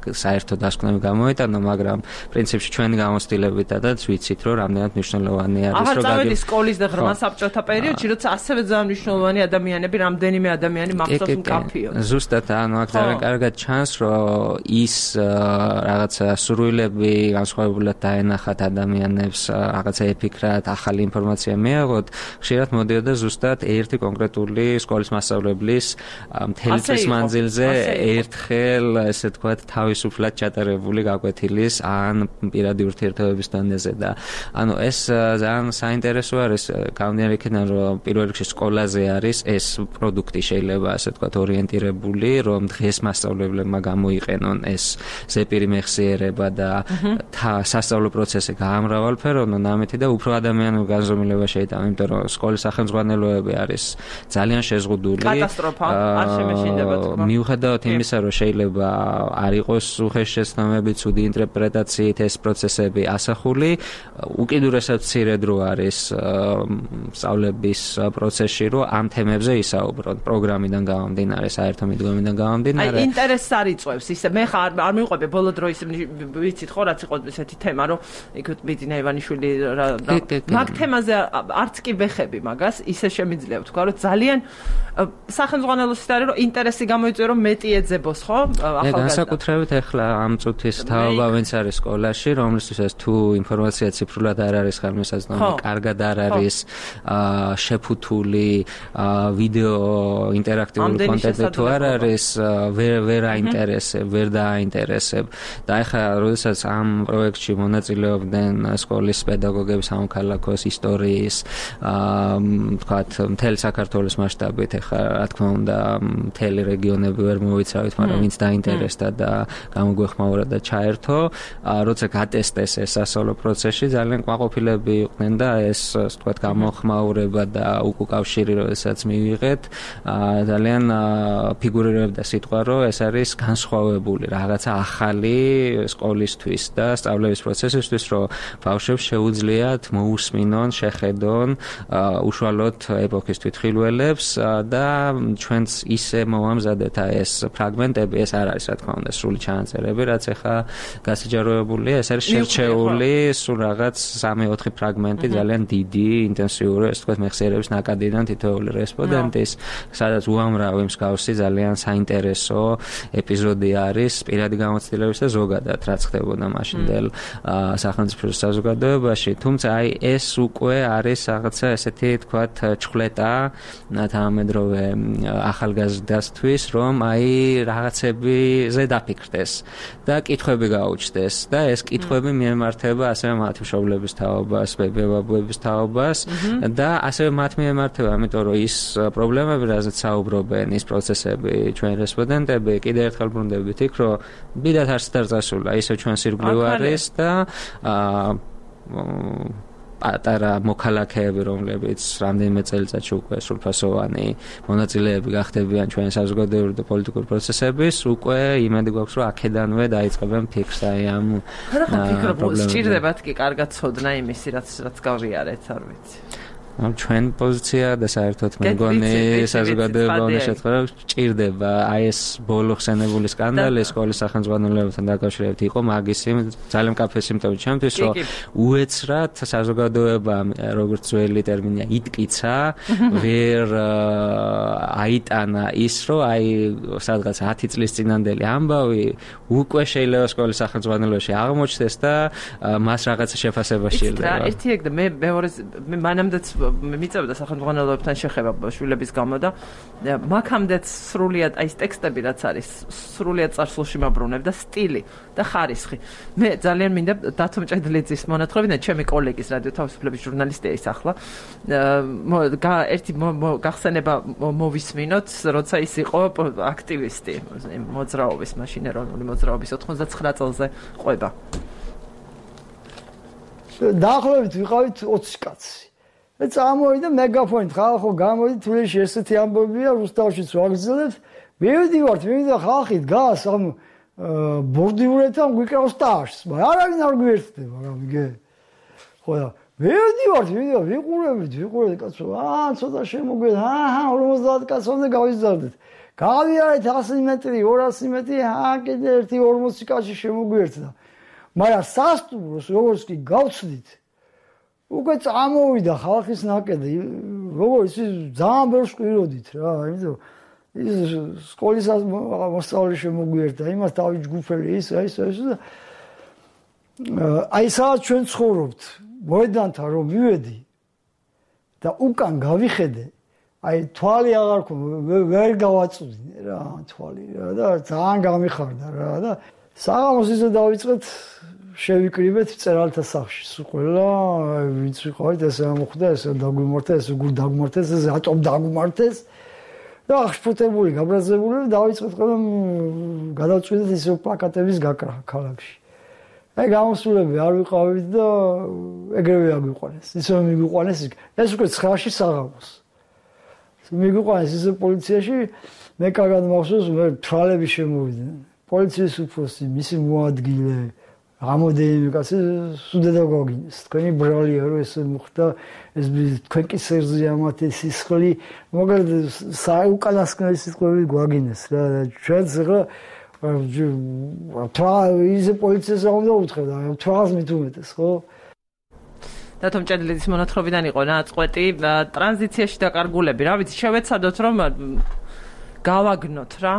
საერთო დასკვნები გამოვიტანო, მაგრამ პრინციპში ჩვენი გამოცდილებითაც ვიცით, რომ რამდენად მნიშვნელოვანი არის, რომ აღარ სკოლის და ღრმა საბჭოთა პერიოდში, როცა ასევე ძალიან მნიშვნელოვანი ადამიანები რამდენიმე ადამიანი მახსოვს მკაფიოდ. ზუსტად, ანუ აქ ძალიან კარგად ჩანს, რომ ის რაღაცა სურვილები განსხვავებულად დაენახათ ადამიანებს, რაღაცა ეფიქრათ, ახალი ინფორმაცია მიიღოთ, ხშირად მოდიოდა ზუსტად ერთი კონკრეტული სკოლის მასწავლებლის მთელი წლის მანძილზე ერთხელ, ესე ვთქვათ, თავისუფლად ჩატარებული გაკვეთილის ან პირადი ურთიერთობების დონეზე და ანუ ეს ძალიან საინტერესო არის, გამომდინარე იქიდან, რომ პირველ რიგში სკოლაზე არის ეს პროდუქტი შეიძლება ასე ვთქვათ ორიენტირებული, რომ დღეს მასწავლებლებმა გამოიყენონ ეს ზეპირი მეხსიერება და სასწავლო პროცესი გაამრავალფერონონ ამეთი და უფრო ადამიანურ განზომილება შეიტანა, იმიტომ რომ სკოლის სახელმძღვანელოები არის ძალიან შეზღუდული. კატასტროფა, არ შემეშინდება თქმა. მიუხედავად იმისა, რომ შეიძლება არ იყოს უხეშესწავლები, ცუდი ინტერპრეტაციით ეს პროცესები ასახული, უკიდურესად მცირე დრო არის სწავლების პროცესში, რომ ამ თემებზე ისაუბრონ. პროგრამიდან გამომდინარე, საერთო მიდგომიდან გამომდინარე. აი ინტერესს არ იწვევს ისე. მე ხარ არ მივყვები ბოლო დროის ვიცით ხო რაც იყო ესეთი თემა, რომ იქ ბიძინა ივანიშვილი მაგ თემაზე არც კი ვეხები მაგას, ისე შემიძლია ვთქვა, რომ ძალიან სახელმძღვანელოსით არის, რომ ინტერესი გამოიწვია, რომ მეტი ეძებოს, ხო? ახალგაზრდა. განსაკუთრებით ახლა ამ წუთის თაობა ვინც არის სკოლაში, რომლისთვისაც თუ ინფორმაცია ციფრულად არ არის ხელმისაწვდომი, კარგად არ არის შეფუთული ვიდეო ინტერაქტიული კონტენტი თუ არ არის, ვერ აინტერესებ, ვერ დააინტერესებ. და ახლა როდესაც ამ პროექტში მონაწილეობდნენ სკოლის პედაგოგები სამოქალაქოს ისტორიის, ვთქვათ, მთელი საქართველოს მასშტაბით, ახლა რა თქმა უნდა, მთელი რეგიონები ვერ მოვიცავით, მაგრამ ვინც დაინტერესდა და გამოგვეხმაურა და ჩაერთო, როცა გატესტეს ეს სასწავლო პროცესში, ძალიან კმაყოფილები იყვნენ და ეს, ვთქვათ, გამოხმაურება და უკავშირი, როდესაც მივიღეთ, ძალიან ფიგურირებდა სიტყვა, რომ ეს არის განსხვავებული რაღაცა ახალი სკოლისთვის და სწავლების პროცესისთვის, რომ ბავშვებს შეუძლიათ მოусმინონ, შეხედონ უშუალოდ ეპოქის თვითხილველებს და ჩვენც ისე მოვამზადეთ ეს ფრაგმენტები, ეს არ არის რა თქმა უნდა სრული ჩანაწერები, რაც ახლა გასაჯაროებულია, ეს არის შერჩეული სულ რაღაც 3-4 ფრაგმენტი, ძალიან დიდი, ინტენსიური, ეს თქვა მეხსიერების ნაკადიდან თითოეული რესპონდენტის, სადაც უამრავი მსგავსი ძალიან საინტერესო ეპიზოდი არის პირადი გამოცდილების და ზოგადად რაც ხდებოდა მაშინდელ სახელმწიფო საზოგადოებაში, თუმცა აი ეს უკვე არის რაღაცა ესეთი თქვათ ჩხლეტა თანამედროვე ახალგაზრდასთვის, რომ აი რაღაცებზე დაფიქრდეს და კითხვები გაუჩნდეს და ეს კითხვები მიემართება ასევე მათი მშობლების თაობას, ბებია-ბაბუების თაობას და ასევე მათ მიემართება, ამიტომ რომ ის პრობლემები, რაზეც საუბრობენ, ის პროცესები, ჩვენ რესპონდენტები, კიდევ ერთხელ ბრუნდებით იქ, რომ ბიდათ არც არ წასულა, ისე ჩვენს ირგვლივ არის და პატარა მოქალაქეები, რომლებიც რამდენიმე წელიწადში უკვე სრულფასოვანი მონაწილეები გახდებიან ჩვენი საზოგადოებრივი და პოლიტიკური პროცესების, უკვე იმედი გვაქვს, რომ აქედანვე დაიწყებენ ფიქრს აი ამ პრობლემებზე. სჭირდებათ კი კარგად ცოდნა იმისი, რაც გავიარეთ, არ ვიცი. ჩვენ პოზიცია და საერთოდ მე მგონი საზოგადოება უნდა შეთქვა, ჭირდება აი ეს ბოლო ხსენებული სკანდალი სკოლის სახელმძღვანელოებთან დაკავშირებით იყო მაგისი ძალიან მკაფე სიმპტომი ჩემთვის, რომ უეცრად საზოგადოება, როგორც ძველი ტერმინია, იტკიცა, ვერ აიტანა ის, რომ აი სადღაც 10 წლის წინანდელი ამბავი უკვე შეიძლება სკოლის სახელმძღვანელოში აღმოჩნდეს და მას რაღაცა შეფასება შეიძლება. ერთი ეგ და მე მეორე მე მანამდეც მიწევდა სახელმძღვანელოებთან შეხება შვილების გამო და მაგამდეც სრულიად აი ეს ტექსტები რაც არის სრულიად წარსულში მაბრუნებ და სტილი და ხარისხი. მე ძალიან მინდა დათო მჭედლიძის მონათხრობიდან ჩემი კოლეგის რადიო თავისუფლების ჟურნალისტია ის ახლა ერთი გახსენება მოვისმინოთ, როცა ის იყო აქტივისტი მოძრაობის, მაშინ ეროვნული მოძრაობის 99 წელზე ყვება. დაახლოებით ვიყავით 20 კაცი. წამოვიდა მეგაფონით, ხალხო გამოდი თბილისში ესეთი ამბობია, რუსთავშიც ვაგრძელებთ. მივიდივართ, ხალხი დგას ამ ბორდიურეთთან გვიკრავს ტაშს, მაგრამ არავინ არ გვიერთდება, რა მიგე. ხო და მივიდივართ, ვიყურებით, კაცო, ცოტა შემოგვიეთ, 50 კაცამდე გავიზარდეთ. გავიარეთ 100 მეტრი, 200 მეტრი, კიდე ერთი 40 კაცი შემოგვიერთდა. მაგრამ სასტუმროს როგორც კი გავცდით, უკვე წამოვიდა ხალხის ნაკედი, როგორც ის ძალიან ბევრს ყვიროდით რა, იმიტომ ის სკოლის მოსწავლე შემოგვიერთდა, იმას დავით ჯგუფელი ის და აი სადაც ჩვენ ცხოვრობთ, მოედანთან რომ მივედი და უკან გავიხედე, აი თვალი აღარ ვერ გავაწვდინე რა, თვალი რა და ძალიან გამიხარდა რა და საღამოს ისე დავიწყეთ შევიკრიბეთ წერალთა სახლში. ყველა ვინც ვიყავით, ესე ამოხვდა, ესე დაგვიმართა, ესე გულ დაგმართეს, ესე ატომ დაგმართეს. და აღშფოთებული, გაბრაზებული დავიწყეთ ყველა გადავწყვიტეთ ისე პლაკატების გაკრა ქალაქში. აი გამოსულები არ ვიყავით და ეგრევე აგვიყვანეს. ისე მიგვიყვანეს, ეს უკვე 9-ში საღამოს. მიგვიყვანეს ისე პოლიციაში, მე კარგად მახსოვს, მე თვალები შემოვიდნენ. პოლიციის უფროსი, მისი მოადგილე ამოდენი კაცი სუდედა გოგინეს. თქვენი ბრალია რომ ეს მოხდა, ეს თქვენ კი სერზია მათი სისხლი, მაგრამ უკანასკნელი სიტყვები გვაგინეს რა. ჩვენც ახლა ისე პოლიციას არ უნდა უთხრა, თვალს მით უმეტეს, ხო? დათო მჭედლიძის მონათხრობიდან იყო ნაწყვეტი ტრანზიციაში დაკარგულები. რა ვიცი, შევეცადოთ რომ გავაგნოთ რა.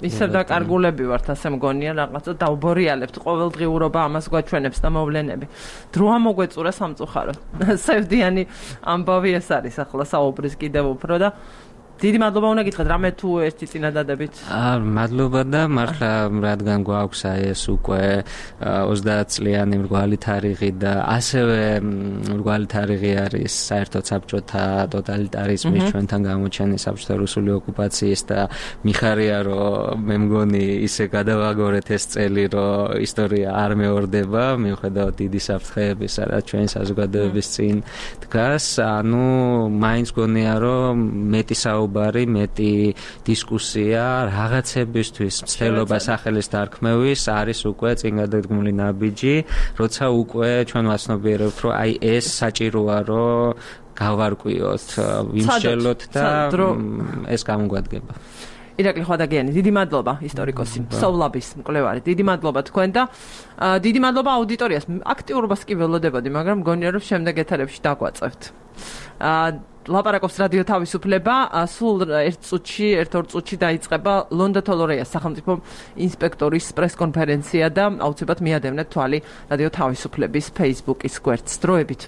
ისევ დაკარგულები ვართ, ასე მგონია, რაღაცა დავბორიალებთ ყოველდღიურობა ამას გვაჩვენებს და მოვლენები. დრო ამოგვეწურა სამწუხაროდ. სევდიანი ამბავი ეს არის ახლა საუბრის კიდევ უფრო და დიდი მადლობა უნდა გითხრათ, რამე თუ ერთი წინადადებით. მადლობა და მართლა რადგან გვაქვს ეს უკვე 30 წლიანი მრგვალი თარიღი და ასევე მრგვალი თარიღი არის საერთოდ საბჭოთა ტოტალიტარიზმის ჩვენთან გამოჩენის საბჭოთა რუსული ოკუპაციის და მიხარია რომ მე მგონი ისე გადავაგორეთ ეს წელი რომ ისტორია არ მეორდება მიუხედავად დიდი საფრთხეების რაც ჩვენი საზოგადოების წინ დგას, ანუ მაინც გონია რომ მეტი საუბარი მთავარი მეტი დისკუსია რაღაცებისთვის მცდელობა სახელის დარქმევის არის უკვე წინ გადადგმული ნაბიჯი, როცა უკვე ჩვენ ვაცნობიერებთ, რომ აი ეს საჭიროა, რომ გავარკვიოთ, ვიმსჯელოთ და ეს გამოგვადგება. ირაკლი ხვადაგიანი, დიდი მადლობა ისტორიკოსი, სოვლაბის მკვლევარი. დიდი მადლობა თქვენ და დიდი მადლობა აუდიტორიას. აქტიურობას კი ველოდებოდი, მაგრამ მგონია რომ შემდეგ ეთერებში დაგვაწევთ. ლაპარაკობს რადიო თავისუფლება, სულ ერთ-ორ წუთში დაიწყება ლონდა თოლორეას სახელმწიფო ინსპექტორის პრესკონფერენცია და აუცილებლად მიადევნეთ თვალი რადიო თავისუფლების Facebook-ის გვერდს. დროებით.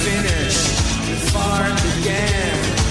Finish before it began.